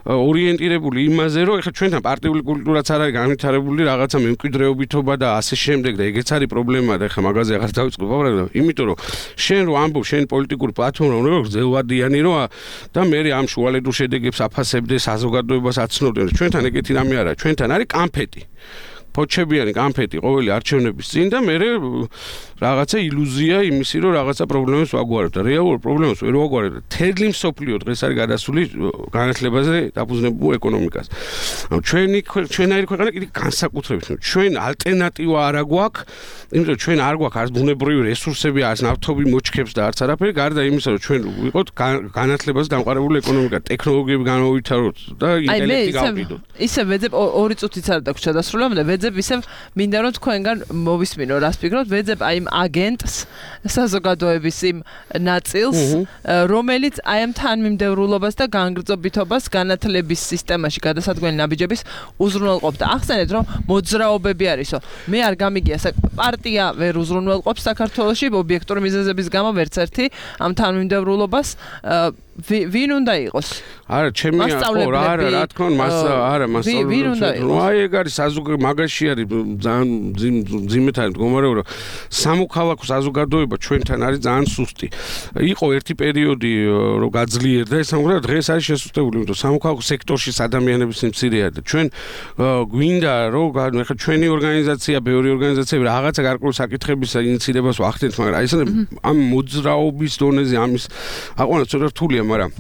ორიენტირებული იმაზე, რომ ეხლა ჩვენთან პარტიული კულტურაც არ არის განვითარებული, რაღაცა მემკვიდრეობითობა და ასე შემდეგ და ეგეც არის პრობლემა და ეხლა მაგაზე აღარ დავიწყებ, მაგრამ იმიტომ რომ შენ რო ამბობ შენ პოლიტიკური პლატფორმა უნდა გრძელვადიანი როა და მე ამ შუალედურ შედეგებს აფასებდე საზოგადოებას აცნობდე. ჩვენთან ეგეთი რამე არა, ჩვენთან არის კამფეტი. ფოჩებიანი კამფეტი ყოველი არჩევნების წინ და მე რაღაცა ილუზია იმისი, რომ რაღაცა პრობლემებს ვაგვარებ და რეალურ პრობლემებს ვერ ვაგვარებ და თერლი მსოფლიო დღეს არის გადასული განათლებაზე დაფუძნებულ ეკონომიკას. ანუ ჩვენი ჩვენაირი ქვეყანა კიდე განსაკუთრებით, ჩვენ ალტერნატივა არ გვაქვს, იმიტომ ჩვენ არ გვაქვს არც ბუნებრივი რესურსები, არც ნავთობი მოჩქებს და არც არაფერი, გარდა იმისა, რომ ჩვენ ვიყოთ განათლებაზე დამყარებული ეკონომიკა, ტექნოლოგიები განავითაროთ და ინტელექტი გავყიდოთ. ისე ვეძებ ორი წუთიც არ დაგვჭირდა დასრულებამდე, ვეძებ ისე მინდა რომ თქვენგან მოვისმინო, რას ფიქრობთ, ვეძებ აი იმ აგენტს, საზოგადოების იმ ნაწილს, რომელიც აი ამ თანმიმდევრულობას და განგრძობითობას განათლების სისტემაში გადასადგმელი ნაბიჯების უზრუნველყოფს და ახსენეთ, რომ მოძრაობები არისო. მე არ გამიგია პარტია ვერ უზრუნველყოფს საქართველოში ობიექტური მიზეზების გამო ვერც ერთი ამ თანმიმდევრულობას ვინ უნდა იყოს? არა, ჩემი ხო რა არა, რა თქმა უნდა, მას არა, მასწავლებელი. აი ეგ არის საზოგადო მაგაში არის ძალიან ძიმეთ არის მდგომარეობა, რომ სამოქალაქო საზოგადოება ჩვენთან არის ძალიან სუსტი. იყო ერთი პერიოდი რომ გაძლიერდა ეს მაგრამ დღეს არის შესუსტებული, იმიტომ სამოქალაქო სექტორში ადამიანების მცირეა და ჩვენ გვინდა რომ ახლა ჩვენი ორგანიზაცია, ბევრი ორგანიზაციები რაღაცა გარკვეული საკითხების ინიციირებას ვახდენთ, მაგრამ აი ეს ამ მოძრაობის დონეზე ამის აყვანა ცოტა რთულია, მაგრამ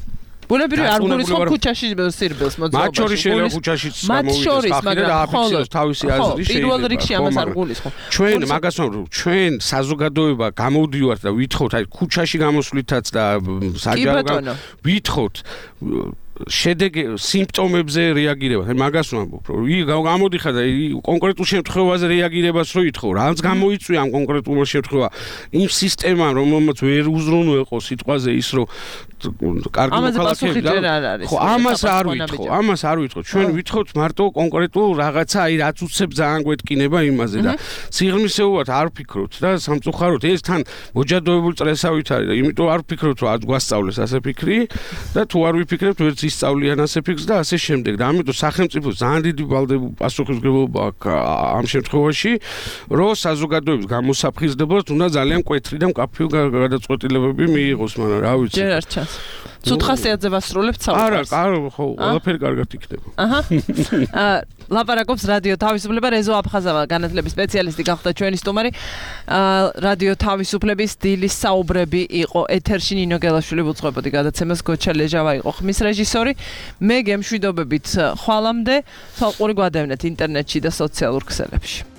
ბუნებრივი არ გულისხმობ ქუჩაში სირბილს მოძრაობაში. მათ შორის შეიძლება ქუჩაშიც გამოვიდეს ხალხი და აფიქსიროს თავისი აზრი შეიძლება. პირველ რიგში ამას არ გულისხმობ. ჩვენ მაგას ვამბობ, ჩვენ საზოგადოება გამოვდივართ და ვითხოვთ აი ქუჩაში გამოსვლითაც და საჯარო ვითხოვთ შედეგ სიმპტომებზე რეაგირება. აი მაგას ვამბობ, რომ ი გამოდიხარ და კონკრეტულ შემთხვევაზე რეაგირებას რო ითხოვ, რაც გამოიწვია ამ კონკრეტულ შემთხვევა, იმ სისტემამ, რომელმაც ვერ უზრუნველყო სიტყვაზე ის, რომ კარგი მოქალაქეები. ხო, ამას არ ვითხოვ, ამას არ ვითხოვ. ჩვენ ვითხოვთ მარტო კონკრეტულ რაღაცა, აი რაც უცებ ძალიან გვეთკინება იმაზე და სიღრმისეულად არ ვფიქრობთ და სამწუხაროდ ეს თან მოჯადოებული წრესავით არის და იმიტომ არ ვფიქრობთ, რომ არ გვასწავლეს ასე ფიქრი და თუ არ ვიფიქრებთ, ვერც ისწავლიან ასე ფიქრს და ასე შემდეგ. და ამიტომ სახელმწიფო ძალიან დიდი პასუხისმგებლობა აქვს ამ შემთხვევაში, რომ საზოგადოების გამოსაფხიზებლად უნდა ძალიან მკვეთრი და მკაფიო გადაწყვეტილებები მიიღოს, მაგრამ რა ვიცი. ჯერ არ ჩანს. ცუდ ხასიათზე ვასრულებთ საუბარს. არა, არა, ხო, ყველაფერი კარგად იქნება. აჰა. აა ლაპარაკობს რადიო თავისუფლება, რეზო აფხაზავა, განათლების სპეციალისტი გახდა ჩვენი სტუმარი. აა რადიო თავისუფლების დილის საუბრები იყო ეთერში ნინო გელაშვილი უძღვებოდი გადაცემას, გოჩა ლეჟავა იყო ხმის რეჟისორი. მე გემშვიდობებით ხვალამდე, თვალყური გვადევნეთ ინტერნეტში და სოციალურ ქსელებში.